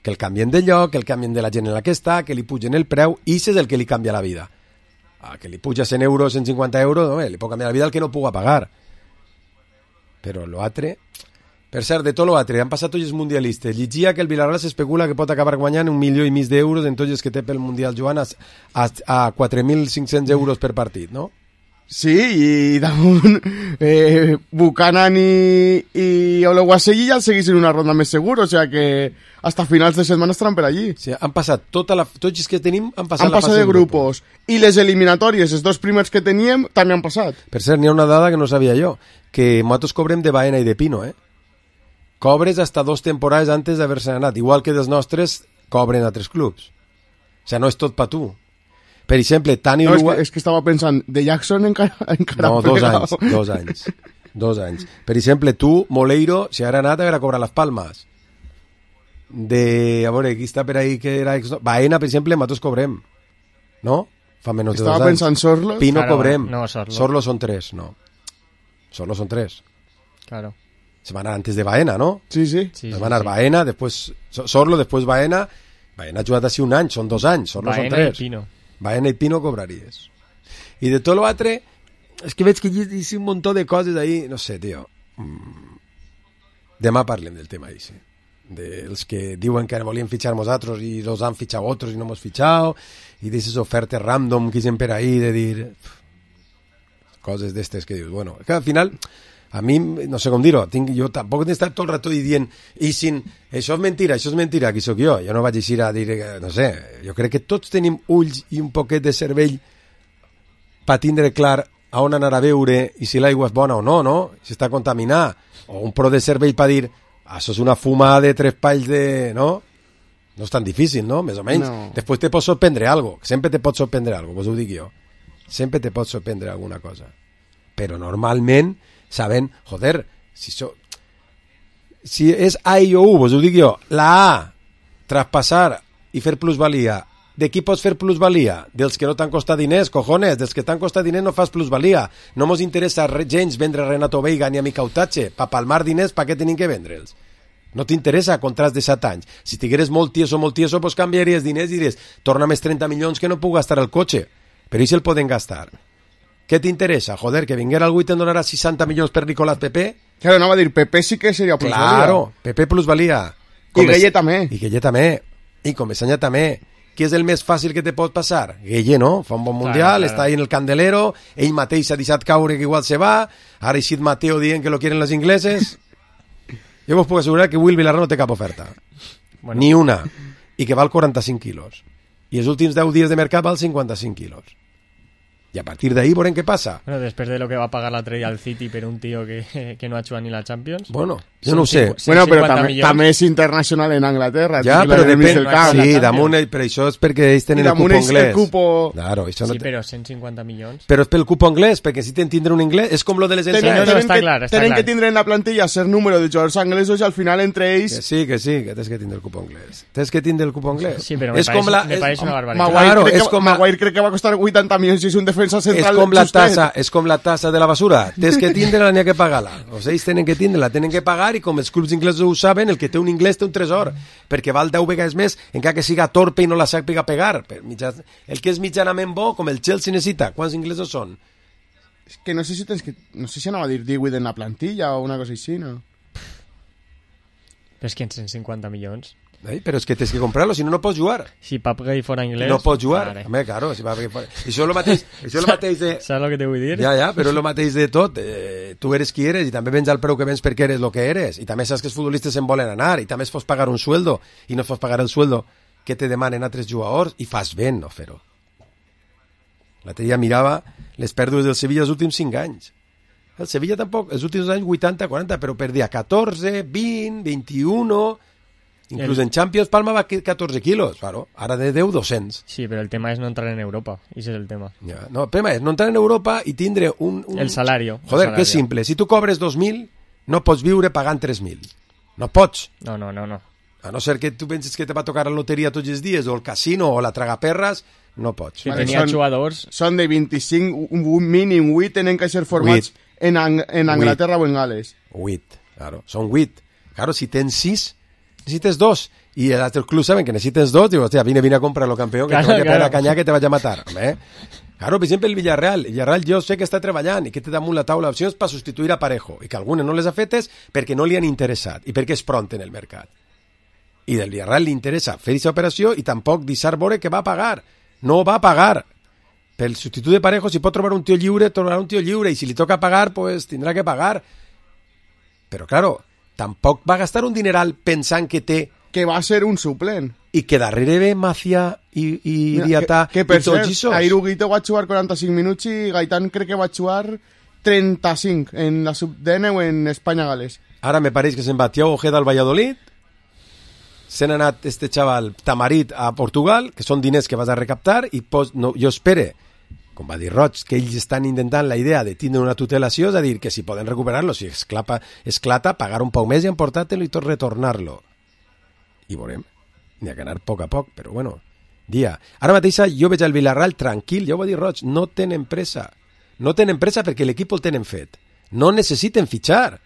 Que el canvien de lloc, que el canvien de la gent en la que està, que li pugen el preu, i és el que li canvia la vida. Ah, que li puja cent euros, cent cinquanta euros, no, li pot canviar la vida el que no puga pagar. Però l'altre... Per cert, de tot l'altre, han passat tots els mundialistes. Llegia que el Villarreal s'especula que pot acabar guanyant un milió i mig d'euros en tots els que té pel Mundial, Joan, a, a, a quatre mil cinc-cents euros per partit, no? Sí, i damunt eh, Buchanan i, i Oleguasegui ja el seguissin una ronda més segur, o sea que hasta finals de setmana estaran per allí. Sí, han passat tota la, tots els que tenim han passat han la passat fase de grupos. grupos. I les eliminatòries, els dos primers que teníem, també han passat. Per cert, n'hi ha una dada que no sabia jo, que nosaltres cobrem de Baena i de Pino, eh? Cobres hasta dos temporades antes d'haver-se anat, igual que dels nostres cobren a tres clubs. O sea, no és tot pa tu. Per exemple, Tani no, Lua... És que, és que estava pensant, de Jackson encara, encara no, dos anys, dos anys, dos anys. Per exemple, tu, Moleiro, si ara anat, haurà cobrat les palmes. De, a veure, qui està per ahí que era... Baena, per exemple, nosaltres cobrem. No? Fa menys de dos anys. Estava pensant Sorlos. Pino claro, cobrem. No, Sorlo. Sorlo són tres, no. Sorlo són tres. Claro. Se van anar antes de Baena, ¿no? Sí, sí. sí se van anar sí. Baena, después Sorlo, después Baena. Baena ha jugat així un any, són dos anys. Sorlo Baena són tres. I Pino. Baena i Pino cobraries. I de tot l'altre, és que veig que hi ha un munt de coses ahí, no sé, tio. Mm. Demà parlem del tema ahí, sí. Dels que diuen que volien fitxar nosaltres i los han fitxat otros i no hemos fitxat, i d'aquestes ofertes random que hi per ahí de dir... Coses d'estes que dius, bueno, que al final... A mi, no sé com dir-ho, tinc, jo tampoc he estat tot el rato dient, i sin, això és mentira, això és mentira, qui sóc jo? Jo no vaig així a dir, no sé, jo crec que tots tenim ulls i un poquet de cervell per tindre clar a on anar a veure i si l'aigua és bona o no, no? Si està contaminada. O un pro de cervell per dir, això és una fumada de tres palls de... no? No és tan difícil, no? Més o menys. No. Després te pot sorprendre algo, sempre te pot sorprendre algo, vos ho dic jo. Sempre te pot sorprendre alguna cosa. Però normalment saben, joder, si, so, si és A i o U, vos ho dic jo, la A, traspassar i fer plusvalia, de qui pots fer plusvalia? Dels que no t'han costat diners, cojones, dels que t'han costat diners no fas plusvalia. No mos interessa gens vendre Renato Veiga ni a Mica Utache, pa palmar diners, pa què tenim que vendre'ls? No t'interessa contrats de set anys. Si estigueres molt tieso, molt tieso, pues canviaries diners i diries, torna més trenta milions que no puc gastar el cotxe, però i si el poden gastar? Què t'interessa? Joder, que vinguera algú i te'n donarà seixanta milions per Nicolás Pepe? Claro, anava a dir, Pepe sí que seria plusvalia. Claro, Pepe plusvalia. I Gueye també. I Gueye també. I Comesaña també. Qui és el més fàcil que te pot passar? Gueye, no? Fa un bon mundial, claro, claro. Està ahí en el candelero, ell mateix s'ha deixat caure que igual se va, ara eixit Mateo dient que lo quieren los ingleses. Jo vos puc assegurar que Will Villarreal no té cap oferta. Bueno. Ni una. I que val quaranta-cinc quilos. I els últims deu dies de mercat val cinquanta-cinc quilos. I a partir d'ahí veurem què passa. Bueno, després de lo que va pagar l'altre dia al City per un tio que, que no ha jugat ni la Champions. Bueno, jo no ho sé. Bueno, però també, també és internacional en Anglaterra. Ja, però depèn. Sí, damunt, però això és perquè ells tenen el cupo anglès. El cupo... Claro, això no sí, però cent cinquanta milions. Però és pel cupo anglès, perquè si tenen tindre un anglès, és com lo de les ensenyes. No, no, està clar, està tenen clar. que tindre en la plantilla ser número de jugadors anglesos i al final entre ells... Que sí, que sí, que tens que tindre el cupo anglès. Tens que tindre el cupo anglès. Sí, però me, pareix, la, me pareix una barbaritat. Maguire, claro, crec, que, Maguire crec que va costar vuitanta milions si és un defensa central. És com la tassa, és com la tassa de la basura. Tens que tindre-la, n'hi ha que pagar-la. O sigui, ells tenen que tindre-la, tenen que pagar, i com els clubs inglesos ho saben, el que té un inglès té un tresor, perquè val deu vegades més, encara que siga torpe i no la sàpiga pegar. El que és mitjanament bo, com el Chelsea necessita. Quants inglesos són? És que no sé si tens que... No sé si anava a dir divuit en la plantilla o una cosa així, no? Però és que en cent cinquanta milions... Ei, però és que tens que comprar-lo, si no, no pots jugar. Si Pap Gay fora inglès... No pots jugar. Vale. Home, claro, si Pap Gay fora... Això és el mateix, això és el mateix de... Saps el que te vull dir? Ja, ja, però és el mateix de tot. Eh, tu eres qui eres i també vens al preu que vens perquè eres el que eres. I també saps que els futbolistes se'n volen anar i també es fos pagar un sueldo i no fos pagar el sueldo que te demanen altres jugadors i fas ben no fer-ho. L'altre dia mirava les pèrdues del Sevilla els últims cinc anys. El Sevilla tampoc, els últims anys vuitanta quaranta, però perdia catorze, vint, vint-i-u... Inclús el... en Champions Palma va catorze quilos, claro. Ara de deu, doscents. Sí, però el tema és no entrar en Europa, i ese és el tema. Ja. No, el tema és no entrar en Europa i tindre un... un... El salario. Joder, el que és simple. Si tu cobres dos mil, no pots viure pagant tres mil. No pots. No, no, no, no. A no ser que tu penses que te va tocar la loteria tots els dies, o el casino, o la tragaperres, no pots. Si vale, tenia són, jugadors... Són de vint-i-cinc, un mínim vuit tenen que ser formats en, Ang en Anglaterra o en Gales. vuit, claro. Són vuit. Claro, si tens sis, necessites dos. Y el otro club saben que necesites dos, digo, hostia, vine, vine a comprarlo, campeón, que claro, te vaya claro. a cañar, que te vaya a matar. Home. Claro, per exemple, el Villarreal. El Villarreal jo sé que està treballant i que té damunt la taula opcions per substituir a Parejo i que algunes no les ha fetes perquè no li han interessat i perquè és pront en el mercat. I del Villarreal li interessa fer aquesta operació i tampoc deixar veure que va a pagar. No va a pagar. Pel substitut de Parejo, si pot trobar un tio lliure, trobarà un tio lliure i si li toca pagar, pues tindrà que pagar. Però, claro, tampoc va gastar un dineral pensant que té que va ser un suplent. I que darrere ve Macia i, i Diatà que, que per cert, ahir Huguito va jugar quaranta-cinc minuts i Gaitán crec que va jugar trenta-cinc en la sub-D N o en Espanya-Gales. Ara me pareix que se'n va Thiago Ojeda al Valladolid, se n'ha anat este xaval Tamarit a Portugal, que són diners que vas a recaptar, i pos, no, jo espere, com va dir Roig, que ells estan intentant la idea de tindre una tutelació, és a dir, que si poden recuperar-lo, si esclapa, esclata, pagar un poc més i emportar-te-lo i tot retornar-lo. I veurem, n'hi ha que anar a poc a poc, però bueno, dia. Ara mateix jo veig el Villarreal tranquil, ja ho va dir Roig, no tenen pressa. No tenen pressa perquè l'equip el tenen fet. No necessiten fitxar.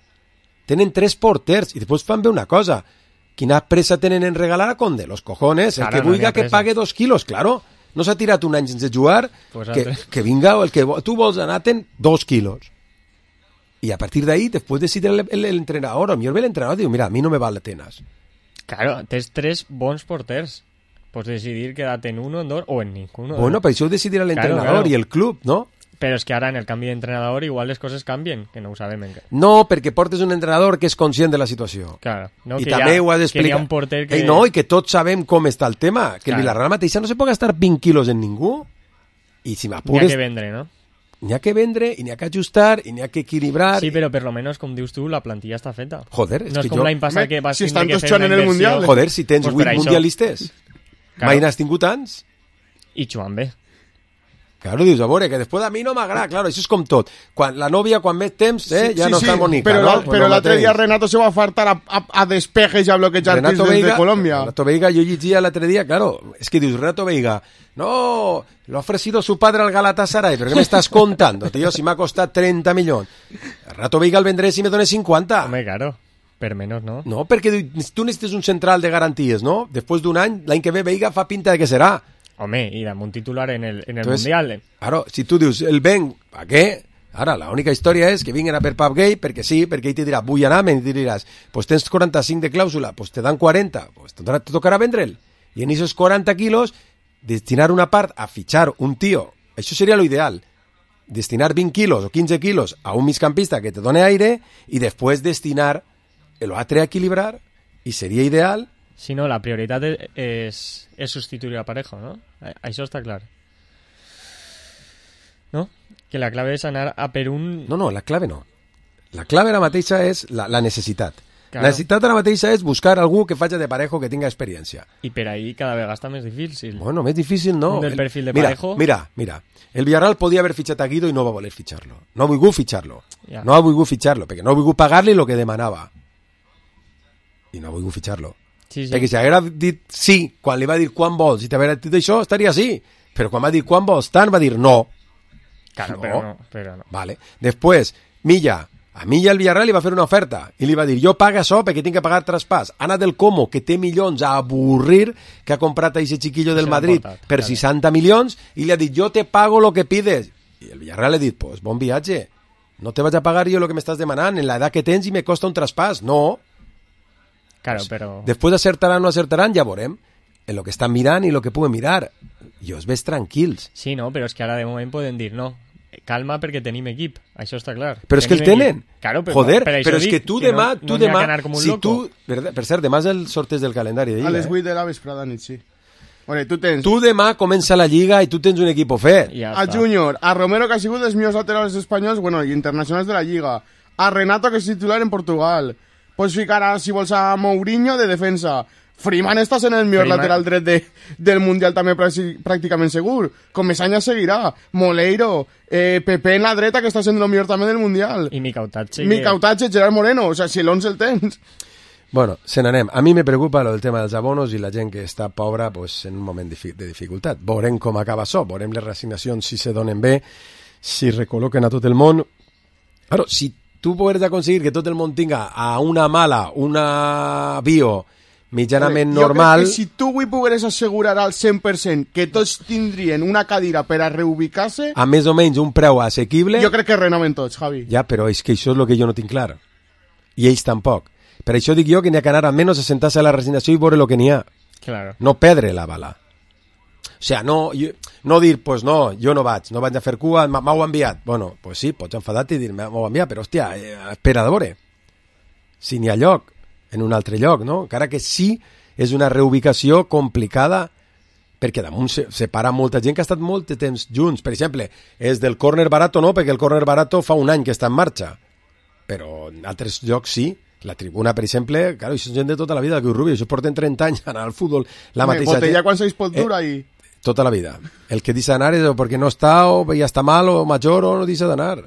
Tenen tres porters i després fan bé una cosa. Quina pressa tenen en regalar a Conde? Los cojones, el claro, que no vulga que pague dos quilos, claro. No s'ha tirat un any sense jugar, pues que, que vinga, el que tu vols anar ten dos quilos. I a partir d'ahí, després decidir l'entrenador, o millor ve l'entrenador, diu, mira, a mi no me val l'Atenas. Claro, tens tres bons porters. Pots decidir quedarte en uno, en dos o en ninguno. Bueno, per això ho decidirà l'entrenador claro, claro. i el club, no? Però és que ara en el canvi d'entrenador igual les coses canvien, que no ho sabem encara. No, perquè portes un entrenador que és conscient de la situació. Claro. No, I que també ha, ho has d'explicar. Que hi ha un porter que... Ei, no, i que tots sabem com està el tema. Que claro. El Villarreal mateixa no se pot gastar vint quilos en ningú. I si m'apures... N'hi ha que vendre, no? N'hi ha que vendre, i n'hi ha que ajustar, i n'hi ha que equilibrar... Sí, però per lo menos, com dius tu, la plantilla està feta. Joder, és no que és com jo... l'any passat que vas si tindre que fer una en el inversió. Mundial. Joder, si tens pues vuit mundialistes. Claro. Mai n'has tingut tants? I jugant bé. Claro, dius, a veure, que després a mi no m'agrada, claro, això és com tot. Quan la nòvia, quan més temps, eh, ja sí, no sí, està bonica, però, no? La, però no l'altre dia Renato se va fartar a, a, a despejes i a bloquejar tirs desde Colombia. Renato Veiga, jo llegia l'altre dia, claro, es que dius, Renato Veiga, no, lo ha ofrecido su padre al Galatasaray, pero ¿qué me estás contando, tío? Si me ha costado treinta millones. Renato Veiga el vendré si me dones cinquanta. Hombre, claro. Per menys, no? No, perquè tu necessites un central de garanties, no? Després d'un any, l'any que ve Veiga fa pinta de que serà. Home, i amb un titular en el, en el Entonces, Mundial. Claro, si tu dius, el ven, ¿pa què? Ara, la única història és que vinguin a per Pap Gay, perquè sí, perquè ell te dirà, vull anar, i te diràs, pues tens quaranta-cinc de clàusula, pues te dan quaranta, pues te tocarà vendre'l. I en esos quaranta quilos, destinar una part a fitxar un tio, això seria lo ideal. Destinar vint quilos o quinze quilos a un migcampista que te done aire i després destinar el altre a equilibrar, i seria ideal. Si no, la prioritat és, és substituir a Parejo, no? Això està clar. No? Que la clave és anar a per un... No, no, la clave no. La clave ara mateixa és la, la necessitat. Claro. La necessitat ara mateixa és buscar algú que faci de Parejo que tinga experiència. I per ahí cada vegada està més difícil. Bueno, més difícil no. Un del perfil de mira, Parejo... Mira, mira, el Villarreal podia haver fitxat a Guido i no va voler fitxar-lo. No ha volgut fitxar-lo. Ja. No ha volgut fitxar-lo, perquè no ha volgut pagar-li el que demanava. I no ha volgut fitxar-lo. Sí, sí. Perquè si haguera dit sí, quan li va dir quan vols, i t'haguera dit això, estaria sí. Però quan va dir quan vols tant, va dir no. Claro, no. Però no, però no. Vale. Després, Milla, a Milla el Villarreal li va fer una oferta i li va dir, jo paga això perquè tinc que pagar traspàs. Ana del Como, que té milions a avorrir, que ha comprat a ese chiquillo del Madrid portat, per claro. seixanta milions, i li ha dit, jo te pago lo que pides. I el Villarreal li ha dit, pues bon viatge, no te vaig a pagar jo lo que m'estàs demanant, en la edat que tens i me costa un traspàs. No. Claro, però... Després acertaran o no acertaran, ja veurem en lo que estan mirant i lo que puguen mirar. I us ves tranquils. Sí, no, però és que ara de moment poden dir no. Calma perquè tenim equip, això està clar. Però és que el tenen. Claro, però, Joder, per però és que tu que demà... no, tu no demà si tu, per, per cert, demà és el sorteig del calendari de Lliga. A les vuit eh? de la vesprada nit, sí. Bueno, tu tens... Tu demà comença la Lliga i tu tens un equip fet. Ja a Júnior, a Romero, que ha sigut dels millors laterals espanyols, bueno, i internacionals de la Lliga. A Renato, que és titular en Portugal. Pots ficar, a, si vols, a Mourinho de defensa. Freeman està sent el millor Freeman. Lateral dret de, del Mundial també pràcticament segur. Comesaña seguirà. Moleiro, eh, Pepe en la dreta, que està sent el millor també del Mundial. I Micautache. Micautache, Gerard Moreno. O sea, si l'onze el tens... Bueno, se n'anem. A mi me preocupa el tema dels abonos i la gent que està pobra pues, en un moment de dificultat. Veurem com acaba això, veurem les reassignacions si se donen bé, si recol·loquen a tot el món. Claro, si tu pots aconseguir que tot el món tinga a una mala, una bio mitjanament jo normal... Jo crec que si tu avui pogueres assegurar al cent per cent que tots tindrien una cadira per a reubicar-se... A més o menys un preu assequible... Jo crec que renoven tots, Javi. Ja, però és que això és el que jo no tinc clar. I ells tampoc. Per això dic jo que n'hi ha que anar almenys a sentar-se a la resignació i veure el que n'hi ha. Claro. No perdre la bala. O sigui, no, jo, no dir, pues no, jo no vaig, no vaig a fer cua, m'heu enviat. Bueno, pues sí, pots enfadar-te i dir, m'heu enviat, però hòstia, eh, espera de veure. Si n'hi ha lloc, en un altre lloc, no? Encara que sí, és una reubicació complicada, perquè damunt se separa molta gent que ha estat molt de temps junts. Per exemple, és del córner barato no, perquè el córner barato fa un any que està en marxa. Però en altres llocs sí. La tribuna, per exemple, claro, això és gent de tota la vida, que Rubio, això porten trenta anys anar al futbol, la Me, mateixa botella gent. quan seis pot dur eh, ahí. Tota la vida. El que dice d'anar és perquè no està, o ja està mal, o major, o no dice d'anar.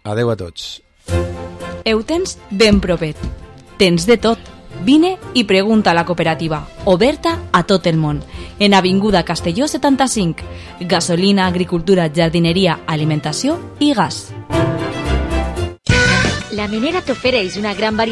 Adeu a tots. Heu tens ben propet. Tens de tot. Vine i pregunta a la cooperativa, oberta a tot el món. En Avinguda Castelló setanta-cinc. Gasolina, agricultura, jardineria, alimentació i gas. La Minera t'ofereix una gran varietat